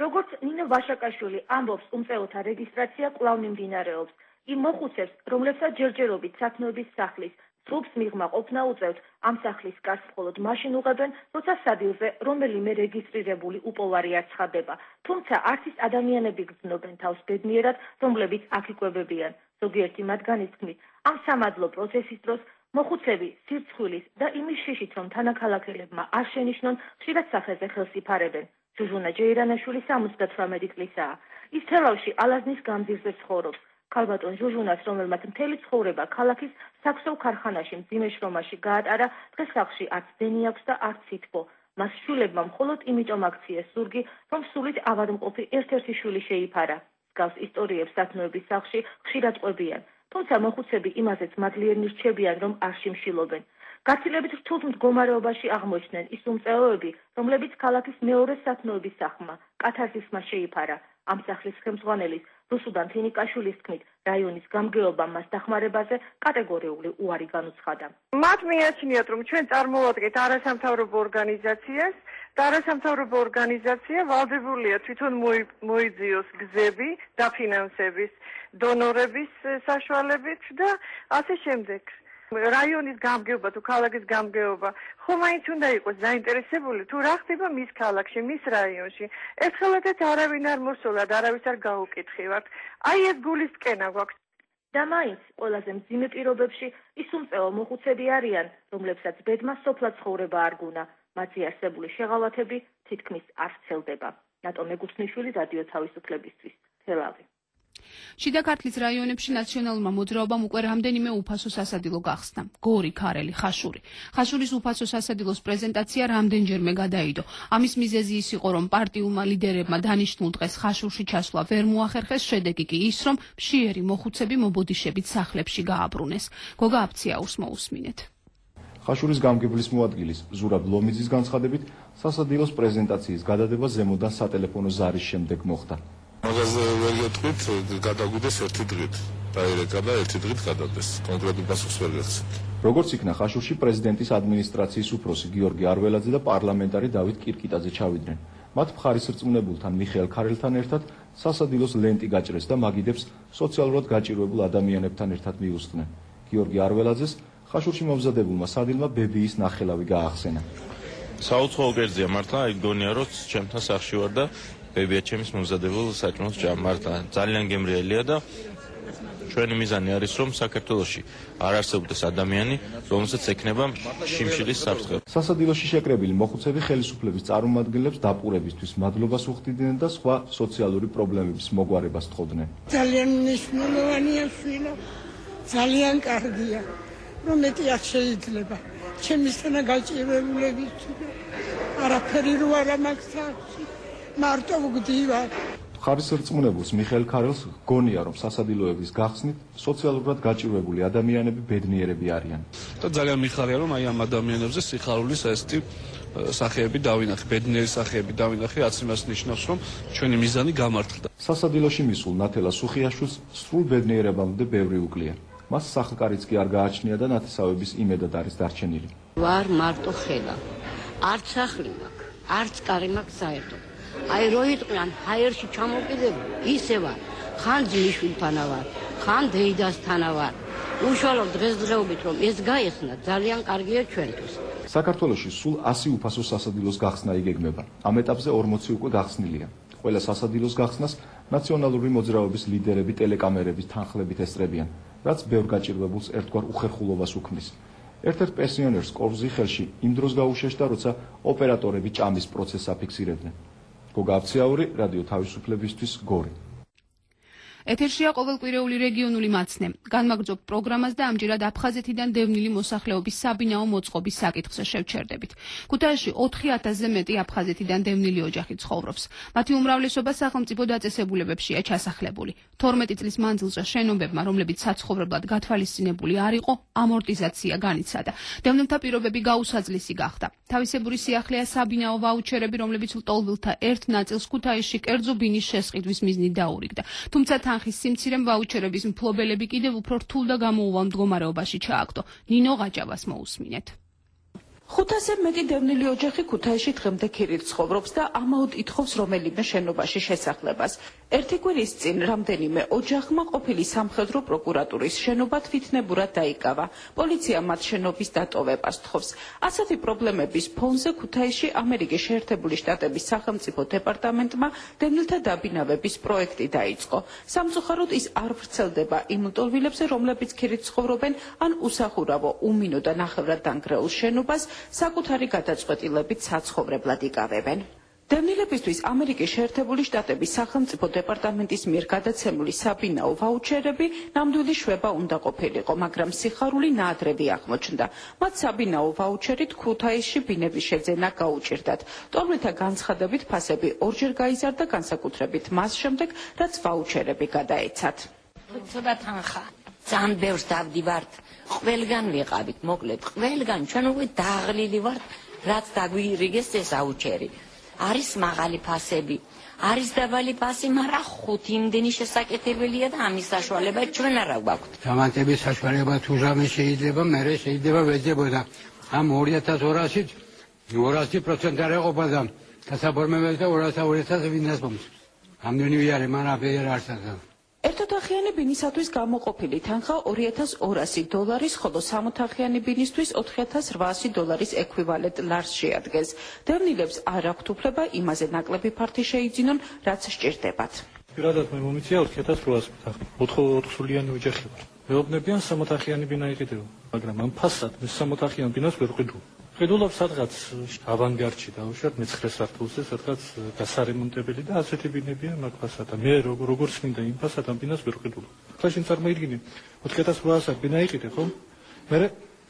როგორც ნინო ვაშაკაშვილი ამბობს, უმწეოთა რეგისტრაცია კვლავ მიმდინარეობს. იმ მოხუცებს, რომლებსაც ჯერჯერობით სათნოების სახლის სრულს მიღმა ყოფნა უწევთ, ამ სახლის კარს მხოლოდ მაშინ უღებენ, როცა სადილზე რომელიმე რეგისტრირებული უპოვარი არ ცხადდება. თუმცა არც ის ადამიანები გრძნობენ თავს ბედნიერად, რომლებიც აქ იკვებებიან. ზოგიერთი მათგანის თქმით, ამ სამადლო პროცესის დროს მოხუცები სირცხვილის და იმის შიშით, რომ თანაქალაქელებმა არ შენიშნონ, ხშირად სახეზე ხელს იფარებენ. ჟუჟუნა ჯეირანაშვილი სამოცდათვრამეტი წლისაა. ის თელავში ალაზნის გამზირზე ცხოვრობს. ქალბატონ ჟუჟუნას, რომელმაც მთელი ცხოვრება ქალაქის საქსოვ ქარხანაში მძიმე შრომაში გაატარა, დღეს სახლში არც დენი აქვს და არც სითბო. მას შვილებმა მხოლოდ იმიტომ აქციეს ზურგი, რომ სულით ავადმყოფი ერთ-ერთი შვილი შეიფარა. მსგავს ისტორიებს სათნოების სახლში ხშირად ყვებიან. თუმცა მოხუცები იმაზეც მადლიერნი რჩებიან, რომ არ შიმშილობენ. გაცილებით რთულ მდგომარეობაში აღმოჩნდნენ ის უმწეოები, რომლებიც ქალაქის მეორე სათნოების სახლმა, კათარსისმა შეიფარა. ამ სახლის ხელმძღვანელის რუსუდან თინიკაშვილის თქმით, რაიონის გამგეობამ მას დახმარებაზე კატეგორიული უარი განუცხადა. მათ მიაჩნიათ, რომ ჩვენ წარმოვადგენთ არასამთავრობო ორგანიზაციას და არასამთავრობო ორგანიზაცია ვალდებულია თვითონ მოიძიოს გზები დაფინანსების, დონორების საშუალებით და ასე შემდეგ. რაიონის გამგეობა თუ ქალაქის გამგეობა ხომ მაინც უნდა იყოს დაინტერესებული თუ რა ხდება მის ქალაქში, მის რაიონში. ერთხელადაც არავინ არ მოსულა და არავის არ გაუკითხივართ. აი ეს გულისწყენა გვაქვს. და მაინც ყველაზე მძიმე პირობებში ის უმწეო მოხუცები არიან, რომლებსაც ბედმა სოფლად ცხოვრება არ გუნა. მათი არსებული შეღავათები თითქმის არ ვრცელდება. ნატო მეგუთმიშვილი, რადიო თავისუფლებისთვის, თელავი. შიდა ქართლის რაიონებში ნაციონალურმა მოძრაობამ უკვე რამდენიმე უფასო სასადილო გახსნა. გორი, ქარელი, ხაშური. ხაშურის უფასო სასადილოს პრეზენტაცია რამდენჯერმე გადაიდო. ამის მიზეზი ის იყო, რომ პარტიულმა ლიდერებმა დანიშნულ დღეს ხაშურში ჩასვლა ვერ მოახერხეს, შედეგი კი ის, რომ მშიერი მოხუცები მობოდიშებით სახლებში გააბრუნეს. გოგა აფციაურს მოусმინეთ. ხაშურის გამგებლის მოადგილის ზურაბ ლომიძის განცხადებით, სასადილოს პრეზენტაციის გადადება ზემოდან სატელეფონო ზარის შემდეგ მოხდა. მაგაზე ვერ გეტყვით, გადაგვიდეს ერთი დღით. დაირეკა და ერთი დღით გადადეს. კონკრეტულ პასუხს ვერ გეცით. როგორც იქნა ხაშურში პრეზიდენტის ადმინისტრაციის უფროსი გიორგი არველაძე და პარლამენტარი დავით კირკიტაძე ჩავიდნენ. მათ მხარისრწმუნებულთან მიხეილ ქარელთან ერთად სასადილოს ლენტი გაჭრეს და მაგიდებს სოციალურად გაჭირვებულ ადამიანებთან ერთად მიუსწნენ. გიორგი არველაძეს ხაშურში მომზადებულმა სადილმა ბებიის ნახელავი გაახსენა. საუცხოო კერძია მართლა, აი გონია რომ ჩემთან სახში ვარ და ბებია ჩემის მომზადებულ საჭმელს ჭამ მართლა ძალიან გემრიელია და ჩვენი მიზანი არის რომ საქართველოში არ არსებობდეს ადამიანი, რომელსაც ექნება შიმშილის საფრთხე. სასადილოში შეკრებილი მოხუცები ხელისუფლების წარმომადგენლებს დაპყრობისთვის მადლობას უხდიდნენ და სხვა სოციალური პრობლემების მოგვარებას თხოვდნენ. ძალიან მნიშვნელოვანია შვილო, ძალიან კარგია, რომ მეტი არ შეიძლება. ჩემისთანა გაჭირვებულებით არაფერი რო არა მაქვს თავში, მარტო ვგდივარ. ხარისრწმუნებულს მიხეილ ქარელს გონია რომ სასადილოების გახსნით სოციალურად გაჭირვებული ადამიანები ბედნიერები არიან. და ძალიან მიხარია რომ აი ამ ადამიანებზე სიხარულის ესეთი სახეები დავინახე, ბედნიერი სახეები დავინახე, რაც იმას ნიშნავს რომ ჩვენი მიზანი გამართლდა. სასადილოში მისულ ნათელა სუხიაშვილს სრულ ბედნიერებამდე ბევრი უკლია. მას სახლკარიც კი არ გააჩნია და ნათესავების იმედად არის დარჩენილი. ვარ მარტო ხელა. არც სახლი მაქვს, არც კარი მაქვს საერთოდ. აი რო იყვიან ჰაერში ჩამოკიდებული, ისე ვარ. ხან ძმისშვილთანა ვარ, ხან დეიდასთანა ვარ. უშუალოდ დღესდღეობით რომ ეს გაიხსნა, ძალიან კარგია ჩვენთვის. საქართველოში სულ ასი უფასო სასადილოს გახსნა იგეგმება. ამ ეტაპზე ორმოცი უკვე გახსნილია. ყველა სასადილოს გახსნას ნაციონალური მოძრაობის ლიდერები ტელეკამერების თანხლებით ესწრებიან, რაც ბევრ გაჭირვებულს ერთგვარ უხერხულობას უქმნის. ერთ-ერთ პენსიონერს კორზი ხელში იმ დროს გაუშეშდა, როცა ოპერატორები ჭამის პროცესს აფიქსირებდნენ. გოგა აბციაური, რადიო თავისუფლებისთვის, გორი. ეთერშია ყოველკვირეული რეგიონული მაცნე. განმაგრძობ პროგრამას და ამჯერად აფხაზეთიდან დევნილი მოსახლეობის საბინაო მოწყობის საკითხზე შევჩერდებით. ქუთაისში ოთხი ათასზე მეტი აფხაზეთიდან დევნილი ოჯახი ცხოვრობს. მათი უმრავლესობა სახელმწიფო დაწესებულებებშია ჩასახლებული. თორმეტი წლის მანძილზე შენობებმა, რომლებიც საცხოვრებლად გათვალისწინებული არ იყო, ამორტიზაცია განიცადა. დევნილთა პირობები გაუსაძლისი გახდა. თავისებური სიახლეა საბინაო ვაუჩერები, რომლებიც ლტოლვილთა ერთ ნაწილს ქუთაისში კერძო ბინის შესყიდვის მიზნით დაურიგდა. თუმცა თანხის სიმცირემ ვაუჩერების მფლობელები კიდევ უფრო რთულ და გამოუვალ მდგომარეობაში ჩააგდო. ნინო გაჭავას მოусმინეთ. ხუთასზე მეტი დევნილი ოჯახი ქუთაისში დღემდე ქირით ცხოვრობს და ამაოდ ითხოვს რომელიმე შენობაში შესახლებას. ერთი კვირის წინ რამდენიმე ოჯახმა ყოფილი სამხედრო პროკურატურის შენობა თვითნებურად დაიკავა. პოლიცია მათ შენობის დატოვებას თხოვს. ასეთი პრობლემების ფონზე ქუთაისში ამერიკის შეერთებული შტატების სახელმწიფო დეპარტამენტმა დევნილთა დაბინავების პროექტი დაიწყო. სამწუხაროდ ის არ ვრცელდება იმ ლტოლვილებზე, რომლებიც ქირით ცხოვრობენ ან უსახურავო უმინო და ნახევრად დანგრეულ შენობას საკუთარი გადაწყვეტილებით საცხოვრებლად იკავებენ. დევნილებისთვის ამერიკის შეერთებული შტატების სახელმწიფო დეპარტამენტის მიერ გადაცემული საბინაო ვაუჩერები ნამდვილი შვება უნდა ყოფილიყო, მაგრამ სიხარული ნაადრევი აღმოჩნდა. მათ საბინაო ვაუჩერით ქუთაისში ბინების შეძენა გაუჭირდათ. ტოლმეთა განცხადებით ფასები ორჯერ გაიზარდა, განსაკუთრებით მას შემდეგ, რაც ვაუჩერები გადაეცათ. ცოტა თანხა, ძალიან ბევრს დავდივართ. ყველგან ვიყავით, მოკლედ, ყველგან ჩვენ უკვე დაღლილი ვართ, რაც დაგვირიგეს ეს აუჩერი. არის მაღალი ფასები, არის დაბალი ფასი, მაგრამ ხუთი იმდენი შესაკეთებელია და ამის საშუალება ჩვენ არა გვაქვთ. გამანტების საშუალება თუ რამე შეიძლება, მერე შეიძლება ვეძებოდა. ამ ორი ათას ორასით ორასი პროცენტი არ ეყოფა და დასაბორმებელი და ორასი ორასი ვინასპომს. ამდენი ვიარე, მაგრამ ვერ არსად. ერთოთახიანი ბინისათვის გამოყოფილი თანხა ორი ათას ორასი დოლარის, ხოლო სამოთახიანი ბინისთვის ოთხი ათას რვაასი დოლარის ექვივალენტ ლარს შეადგენს. დევნილებს არ აქვთ უფლება იმაზე ნაკლები ფართი შეიძინონ, რაც სჭირდებათ. პირადად მე მომიცია ოთხი ათას რვაასი თანხა. ოთხსულიანი ოჯახი ვარ. მეუბნებიან სამოთახიანი ბინა იყიდეო, მაგრამ ამ ფასად მე სამოთახიან ბინას ვერ ვყიდულ. ვყიდულობ სადღაც ავანგარდში დავუშვათ მეცხრე სართულზე, სადღაც გასარემონტებელი და ასეთი ბინებია მაგ ფასად. მე როგორც მინდა იმ ფასად ამ ბინას ვერ ვყიდულ. ხლა შენ წარმოიდგინე ოთხი ათას რვაასი ბინა იყიდე, ხო? მე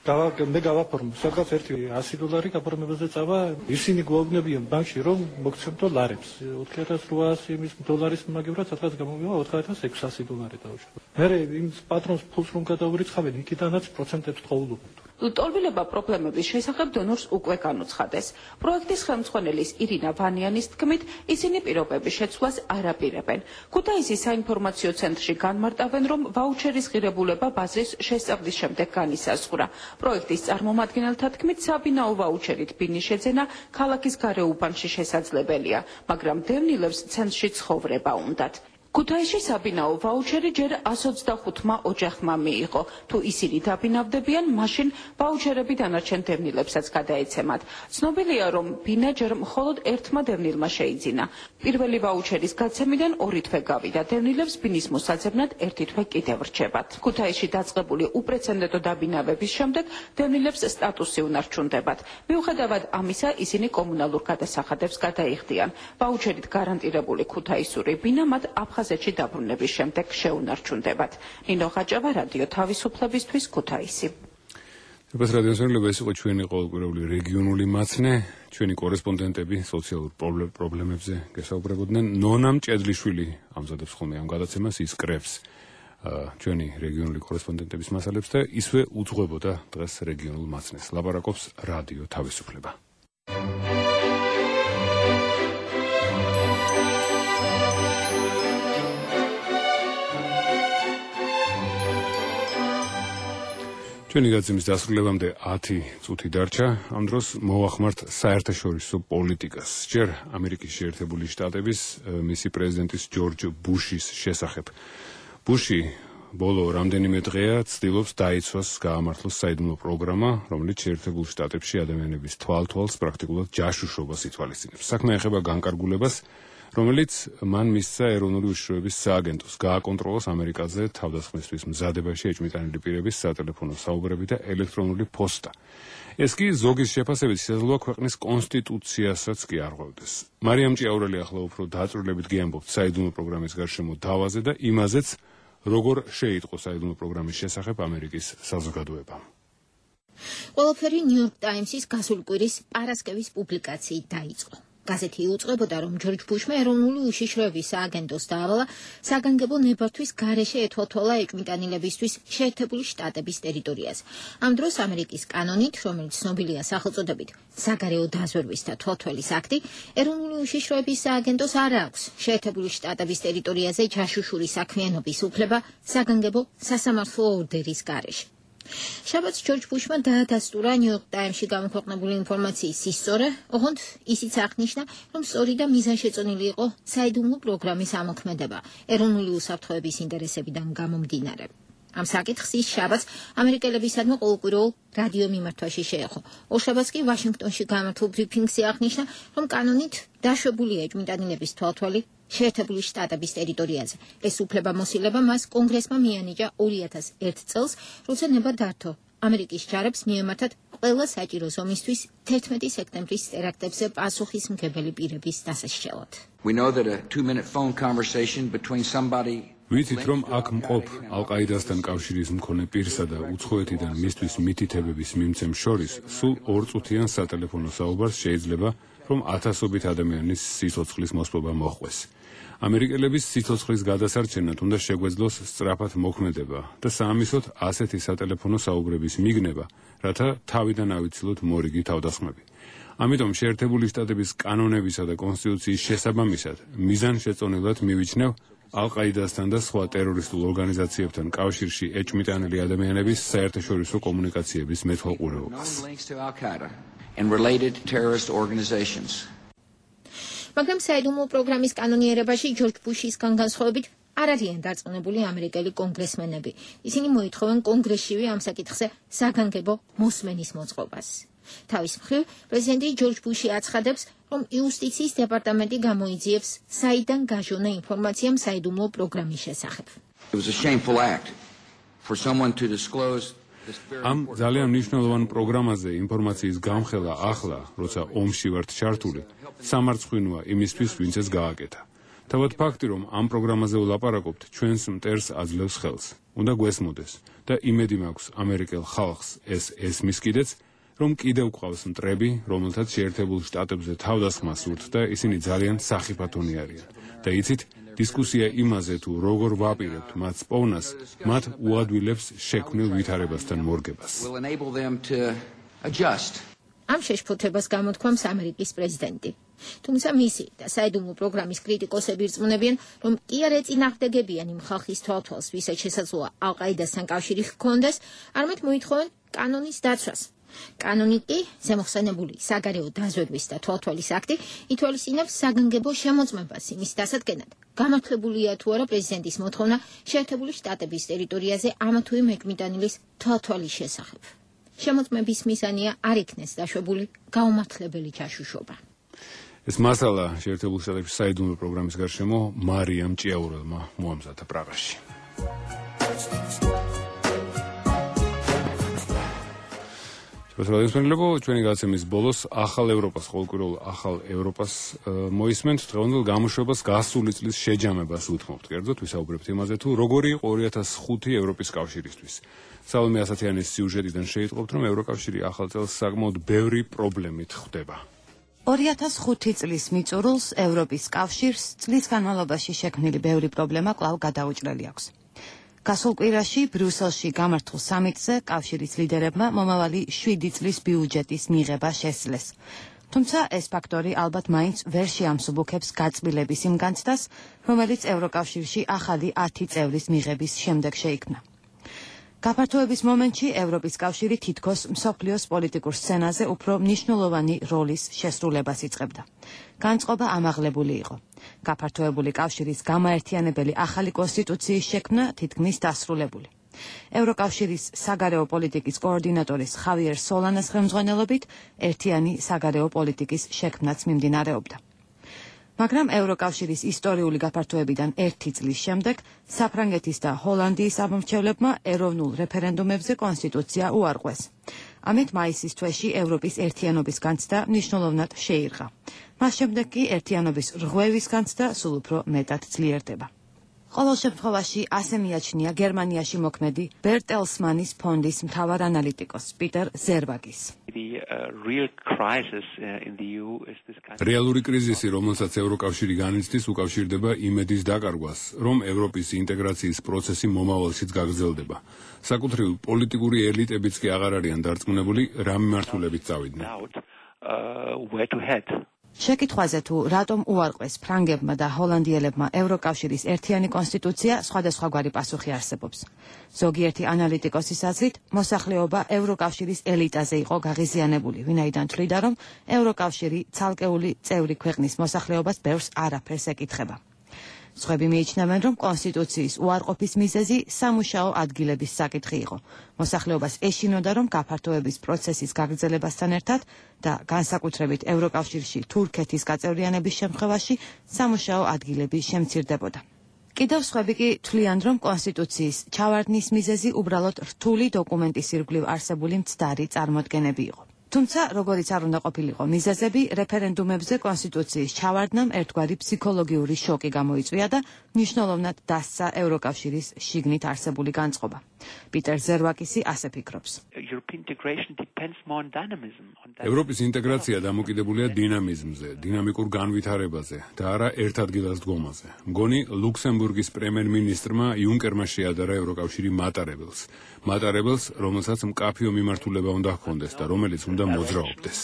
მე გავაფორმო სადღაც ერთი ასი დოლარი გაფორმებაზე წავა, ისინი გვაუბნებიან ბანკში რომ მოგცემთო ლარებს. ოთხი ათას რვაასი იმის დოლარის მაგივრად სადღაც გამოვივა ოთხი ათას ექვსასი დოლარი დავუშვათ. მე იმ პატრონს ფულს რომ გადავურიცხავენ, იქიდანაც პროცენტებს ტყუილობთ. ლტოლვილება პრობლემების შესახებ დონორს უკვე განუცხადეს. პროექტის ხელმძღვანელის ირინა ვანიანის თქმით, ისინი პირობების შეცვლას არ აპირებენ. ქუთაისის საინფორმაციო ცენტრში განმარტავენ, რომ ვაუჩერის ღირებულება ბაზრის შესწავლის შემდეგ განისაზღვრა. პროექტის წარმომადგენელთა თქმით, საბინაო ვაუჩერით ბინის შეძენა ქალაქის გარეუბანში შესაძლებელია, მაგრამ დევნილებს ცენტრში ცხოვრება უნდათ. ქუთაისში საბინაო ვაუჩერი ჯერ εκατს ოცდახუთმა ოჯახმა მიიღო. თუ ისინი დაბინავდებიან, მაშინ ვაუჩერები დანარჩენ დევნილებსაც გადაეცემათ. ცნობილია, რომ ბინა ჯერ მხოლოდ ერთმა დევნილმა შეიძინა. პირველი ვაუჩერის გაცემიდან ორი თვე გავიდა. დევნილებს ბინის მოსაძებნად ერთი თვე კიდევ რჩებათ. ქუთაისში დაწყებული უპრეცედენტო დაბინავების შემდეგ დევნილებს სტატუსი უნარჩუნდებათ. მიუხედავად ამისა, ისინი კომუნალურ გადასახადებს გადაიხდიან. ვაუჩერით გარანტირებული ქუთაისური ბინა მათ აფხაზეთში დაბრუნების შემდეგ შეუნარჩუნდებათ. ნინო ხაჭავა, რადიო თავისუფლებისთვის, ქუთაისი. ეს რადიოსმენელობა ეს იყო ჩვენი ყოველკვირეული რეგიონული მაცნე, ჩვენი კორესპონდენტები სოციალურ პრობლემებზე გესაუბრებოდნენ. ნონა მჭედლიშვილი ამზადებს ხოლმე ამ გადაცემას, ის კრებს ჩვენი რეგიონული კორესპონდენტების მასალებს და ისვე უძღვებოდა დღეს რეგიონულ მაცნეს. ლაპარაკობს რადიო თავისუფლება. ჩვენი გაცემის დასრულებამდე ათი წუთი დარჩა. ამ დროს მოვახმართ საერთაშორისო პოლიტიკას. ჯერ ამერიკის შეერთებული შტატების მისი პრეზიდენტის ჯორჯ ბუშის შესახებ. ბუში ბოლო რამდენიმე დღეა ცდილობს დაიცვას გაამართლოს საიდუმლო პროგრამა, რომელიც შეერთებულ შტატებში ადამიანების თვალთვალს პრაქტიკულად ჯაშუშობას ითვალისწინებს. საქმე ეხება განკარგულებას, რომელიც მან მისცა ეროვნული უშიშროების სააგენტოს გააკონტროლოს ამერიკაზე თავდასხმისთვის მზადებაში ეჭვმიტანილი პირების სატელეფონო საუბრები და ელექტრონული პოსტა. ეს კი ზოგის შეფასებით შესაძლოა ქვეყნის კონსტიტუციასაც კი არღვევდეს. მარიამ ჭიაურელი ახლა უფრო დაწვრილებით გიამბობთ საიდუმლო პროგრამის გარშემო დავაზე და იმაზეც, როგორ შეიტყო საიდუმლო პროგრამის შესახებ ამერიკის საზოგადოებამ. ყველაფერი ნიუ-იორკ ტაიმსის გასული კვირის პარასკევის პუბლიკაციით დაიწყო. გაზეთი იუწყებოდა, რომ ჯორჯ ბუშმა ეროვნული უშიშროების სააგენტოს დაავალა საგანგებო ნებართვის გარეშე ეთვალთვალა ეჭვმიტანილებისთვის შეერთებული შტატების ტერიტორიაზე. ამ დროს ამერიკის კანონით, რომელიც ცნობილია სახელწოდებით საგარეო დაზვერვის და თვალთვალის აქტი, ეროვნული უშიშროების სააგენტოს არ აქვს შეერთებული შტატების ტერიტორიაზე ჯაშუშური საქმიანობის უფლება საგანგებო სასამართლო ორდერის გარეშე. შაბათს ჯორჯ ბუშმა დაადასტურა ნიუ-იორკ ტაიმსში გამოქვეყნებული ინფორმაციის სისწორე, ოღონდ ისიც აღნიშნა, რომ სწორი და მიზანშეწონილი იყო საიდუმლო პროგრამის ამოქმედება ეროვნული უსაფრთხოების ინტერესებიდან გამომდინარე. ამ საკითხს ის შაბათს ამერიკელებისადმი ყოველკვირეულ რადიო მიმართვაში შეეხო. ორშაბათს კი ვაშინგტონში გამართულ ბრიფინგში აღნიშნა, რომ კანონით დაშვებულია ეჭვმიტანილების თვალთვალი შეერთებული შტატების ტერიტორიაზე. ეს უფლებამოსილება მას კონგრესმა მიანიჭა ორი ათას ერთ წელს, როცა ნება დართო ამერიკის ჯარებს მიემართათ ყველა საჭირო ზომისთვის თერთმეტი სექტემბრის ტერაქტებზე პასუხისმგებელი პირების დასაშშელად. We know that a two-minute phone conversation between somebody ვიცით, რომ აქ მყოფ ალ-ყაიდასთან კავშირის მქონე პირსა და უცხოეთიდან მისთვის მითითებების მიმცემს შორის სულ ორწუთიან სატელეფონო საუბარს შეიძლება, რომ ათასობით ადამიანის სიცოცხლის მოსპობა მოხდეს. ამერიკელების სიცოცხლის გადასარჩენად უნდა შეგვეძლოს სწრაფად მოქმედება და საამისოდ ასეთი სატელეფონო საუბრების მიგნება, რათა თავიდან ავიცილოთ მორიგი თავდასხმები. ამიტომ შეერთებული შტატების კანონებისა და კონსტიტუციის შესაბამისად მიზანშეწონილად მივიჩნევ ალ-ყაიდასთან და სხვა ტერორისტულ ორგანიზაციებთან კავშირში ეჭვმიტანილი ადამიანების საერთაშორისო კომუნიკაციების მეთვალყურეობას. and related terrorist organizations. მაგრამ საიდუმლო პროგრამის კანონიერებაში ჯორჯ ბუშისგან განსხვავებით არ არიან დარწმუნებული ამერიკელი კონგრესმენები. ისინი მოითხოვენ კონგრესშივე ამ საკითხზე საგანგებო მოსმენის მოწყობას. თავის მხრივ, პრეზიდენტი ჯორჯ ბუში აცხადებს, რომ იუსტიციის დეპარტამენტი გამოიძიებს საიდან გაჟონა ინფორმაციამ საიდუმლო პროგრამის შესახებ. It was a shameful act for someone to disclose ამ ძალიან მნიშვნელოვან პროგრამაზე ინფორმაციის გამხელა ახლა, როცა ომში ვართ ჩართული, სამარცხვინოა იმისთვის, ვინც ეს გააკეთა. თავად ფაქტი, რომ ამ პროგრამაზე ვლაპარაკობთ, ჩვენს მტერს აძლევს ხელს. უნდა გვესმოდეს და იმედი მაქვს ამერიკელ ხალხს ეს ესმის კიდეც, რომ კიდევ გვყავს მტრები, რომელთაც შეერთებულ შტატებზე თავდასხმა სურთ და ისინი ძალიან სახიფათონი არიან. და იცით, დისკუსია იმაზე თუ როგორ ვაპირებთ მათ პოვნას, მათ უადვილებს შექმნილ ვითარებასთან მორგებას. ამ შეშფოთებას გამოთქვამს ამერიკის პრეზიდენტი. თუმცა მისი და საიდუმლო პროგრამის კრიტიკოსები რწმუნებიან, რომ კი არ ეწინააღმდეგებიან იმ ხალხის თვალთვალს, ვისაც შესაძლოა ალ-ყაიდასთან კავშირი ჰქონდეს, არამედ მოითხოვენ კანონის დაცვას. კანონი კი, ზემოხსენებული საგარეო დაზვერვის და თვალთვალის აქტი, ითვალისწინებს საგანგებო შემოწმებას იმის დასადგენად, გამართლებულია თუ არა პრეზიდენტის მოთხოვნა შეერთებული შტატების ტერიტორიაზე ამა თუ იმ ეკმიტანილის თვალთვალის შესახებ. შემოწმების მიზანია არ იქნეს დაშვებული გაუმართლებელი ჯაშუშობა. ეს მასალა შეერთებულ შტატებში საიდუმლო პროგრამის გარშემო მარიამ ჭიაურელმა მოამზადა პრაღაში. შესაძლოა ჩვენი გადაცემის ბოლოს ახალ ევროპას, ყოველკვირეულ ახალ ევროპას მოისმენთ, დღევანდელ გამოშვებას გასული წლის შეჯამებას უთმობთ. კერძოდ ვისაუბრებთ იმაზე, თუ როგორი იყო ორი ათას ხუთი ევროპის კავშირისთვის. სალომე ასათიანის სიუჟეტიდან შეიტყობთ, რომ ევროკავშირი ახალ წელს საკმაოდ ბევრი პრობლემით ხვდება. ორი ათას ხუთი წლის მიწურულს ევროპის კავშირს წლის განმავლობაში შექმნილი ბევრი პრობლემა კვლავ გადაუჭრელი აქვს. გასულ კვირაში ბრიუსელში გამართულ სამიტზე კავშირის ლიდერებმა მომავალი შვიდი წლის ბიუჯეტის მიღება შესძლეს. თუმცა ეს ფაქტორი ალბათ მაინც ვერ შეამსუბუქებს გაწმილების იმ განცდას, რომელიც ევროკავშირში ახალი ათი წევრის მიღების შემდეგ შეიქმნა. გაფართოების მომენტში ევროპის კავშირი თითქოს მსოფლიოს პოლიტიკურ სცენაზე უფრო მნიშვნელოვანი როლის შესრულებას იწყებდა. განწყობა ამაღლებული იყო. გაფართოებული კავშირის გამაერთიანებელი ახალი კონსტიტუციის შექმნა თითქმის დასრულებული. ევროკავშირის საგარეო პოლიტიკის კოორდინატორის ხავიერ სოლანას ხელმძღვანელობით ერთიანი საგარეო პოლიტიკის შექმნაც მიმდინარეობდა. მაგრამ ევროკავშირის ისტორიული გაფართოებიდან ერთი წლის შემდეგ საფრანგეთის და ჰოლანდიის ამომრჩევლებმა ეროვნულ რეფერენდუმებზე კონსტიტუცია უარყვეს. ამით მაისის თვეში ევროპის ერთიანობის განცდა მნიშვნელოვნად შეირღა. მას შემდეგ კი ერთიანობის რღვევის განცდა სულ უფრო მეტად ძლიერდება. ყოველ შემთხვევაში ასე მიაჩნია გერმანიაში მოქმედი ბერტელსმანის ფონდის მთავარ ანალიტიკოს პიტერ ზერვაგის. რეალური კრიზისი, რომელსაც ევროკავშირი განიცდის, უკავშირდება იმედის დაკარგვას, რომ ევროპის ინტეგრაციის პროცესი მომავალშიც გაგრძელდება. საკუთრივ პოლიტიკური ელიტებიც კი აღარ არიან დარწმუნებული, რა მიმართულებით წავიდნენ. შეკითხვაზე თუ რატომ უარყვეს ფრანგებმა და ჰოლანდიელებმა ევროკავშირის ერთიანი კონსტიტუცია, სხვადასხვაგვარი პასუხი არსებობს. ზოგიერთი ანალიტიკოსის აზრით, მოსახლეობა ევროკავშირის ელიტაზე იყო გაღიზიანებული, ვინაიდან თვლიდა, რომ ევროკავშირი ცალკეული წევრი ქვეყნის მოსახლეობას ბევრს არაფერს ეკითხება. სხვები მიიჩნევენ, რომ კონსტიტუციის უარყოფის მიზეზი სამუშაო ადგილების საკითხი იყო. მოსახლეობას ეშინოდა, რომ გაფართოების პროცესის გაგრძელებასთან ერთად და განსაკუთრებით ევროკავშირში თურქეთის გაწევრიანების შემთხვევაში სამუშაო ადგილები შემცირდებოდა. კიდევ სხვები კი თვლიან, რომ კონსტიტუციის ჩავარდნის მიზეზი უბრალოდ რთული დოკუმენტის ირგვლივ არსებული მცდარი წარმოდგენები იყო. თუმცა, როგორიც არ უნდა ყოფილიყო მიზეზები, რეფერენდუმებზე კონსტიტუციის ჩავარდნამ ერთგვარი ფსიქოლოგიური შოკი გამოიწვია და მნიშვნელოვნად დასცა ევროკავშირის შიგნით არსებული განწყობა. პიტერ ზერვაკისი ასე ფიქრობს. ევროპის ინტეგრაცია დამოკიდებულია დინამიზმზე, დინამიკურ განვითარებაზე და არა ერთადგილას დგომაზე. მგონი ლუქსემბურგის პრემიერ-მინისტრმა იუნკერმა შეადარა ევროკავშირი მატარებელს. მატარებელს, რომელსაც მკაფიო მიმართულება უნდა ჰქონდეს და რომელიც უნდა მოძრაობდეს.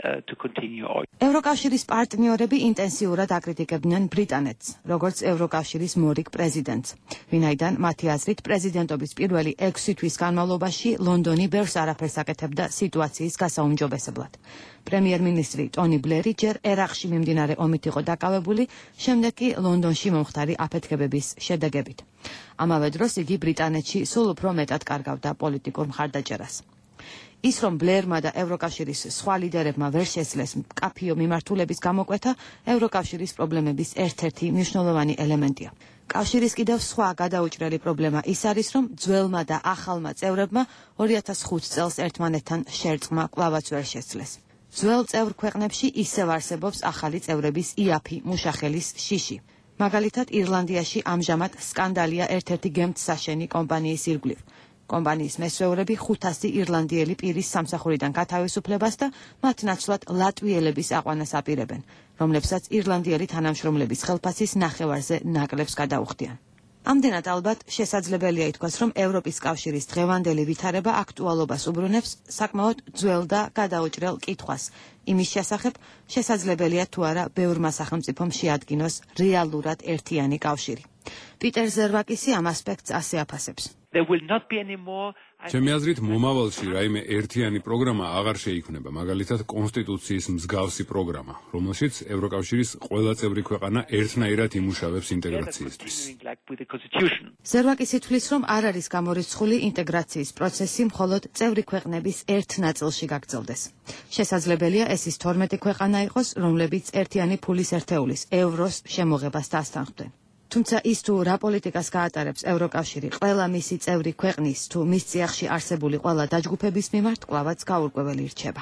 ევროკავშირის პარტნიორები ინტენსიურად აკრიტიკებდნენ ბრიტანეთს, როგორც ევროკავშირის მორიგ პრეზიდენტს, ვინაიდან მათი აზრით პრეზიდენტობის პირველი ექვსი თვის განმავლობაში ლონდონი ბევრს არაფერს აკეთებდა სიტუაციის გასაუმჯობესებლად. პრემიერ-მინისტრი ტონი ბლერი ჯერ ერაყში მიმდინარე ომით იყო დაკავებული, შემდეგ კი ლონდონში მომხდარი აფეთქებების შედეგებით. ამავე დროს იგი ბრიტანეთში სულ უფრო მეტად კარგავდა პოლიტიკურ მხარდაჭერას. ის, რომ ბლერმა და ევროკავშირის სხვა ლიდერებმა ვერ შესძლეს მკაფიო მიმართულების გამოკვეთა, ევროკავშირის პრობლემების ერთ-ერთი მნიშვნელოვანი ელემენტია. კავშირის კიდევ სხვა გადაუჭრელი პრობლემა ის არის, რომ ძველმა და ახალმა წევრებმა ორი ათას ხუთი წელს ერთმანეთთან შერწყმა კვლავაც ვერ შესძლეს. ძველ წევრ ქვეყნებში ისევ არსებობს ახალი წევრების იაფი მუშახელის შიში. მაგალითად, ირლანდიაში ამჟამად სკანდალია ერთ-ერთი გემთსაშენი კომპანიის ირგვლივ. კომპანიის მესვეურები ხუთასი ირლანდიელი პირის სამსახურიდან გათავისუფლებას და მათ ნაცვლად ლატვიელების აყვანას აპირებენ, რომლებსაც ირლანდიელი თანამშრომლების ხელფასის ნახევარზე ნაკლებს გადაუხდიან. ამდენად ალბათ შესაძლებელია ითქვას, რომ ევროპის კავშირის დღევანდელი ვითარება აქტუალობას უბრუნებს საკმაოდ ძველ და გადაუჭრელ კითხვას იმის შესახებ, შესაძლებელია თუ არა ბევრმა სახელმწიფომ შეადგინოს რეალურად ერთიანი კავშირი. პიტერ ზერვაკისი ამ ასპექტს ასე აფასებს. ჩემი აზრით, მომავალში რაიმე ერთიანი პროგრამა აღარ შეიქმნება, მაგალითად კონსტიტუციის მსგავსი პროგრამა, რომელშიც ევროკავშირის ყველა წევრი ქვეყანა ერთნაირად იმუშავებს ინტეგრაციისთვის. ზერვაკისი თვლის, რომ არ არის გამორიცხული ინტეგრაციის პროცესი მხოლოდ წევრი ქვეყნების ერთ ნაწილში გაგრძელდეს. შესაძლებელია ეს ის თორმეტი ქვეყანა იყოს, რომლებიც ერთიანი ფულის ერთეულის ევროს შემოღებას დასთანხმდნენ. თუმცა ის თუ რა პოლიტიკას გაატარებს ევროკავშირი ყველა მისი წევრი ქვეყნის თუ მის წიაღში არსებული ყველა დაჯგუფების მიმართ კვლავაც გაურკვეველი რჩება.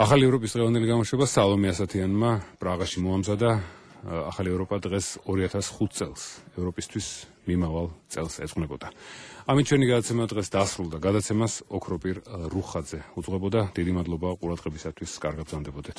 ახალი ევროპის დღევანდელი გამოშვება სალომე ასათიანმა პრაღაში მოამზადა. ახალი ევროპა დღეს ორი ათას ხუთ წელს ევროპისთვის მიმავალ წელს ეძღვნებოდა. ამით ჩვენი გადაცემა დღეს დასრულდა. გადაცემას ოქროპირ რუხაძე უძღვებოდა. დიდი მადლობა ყურადღებისათვის. კარგად გრძანდებოდეთ.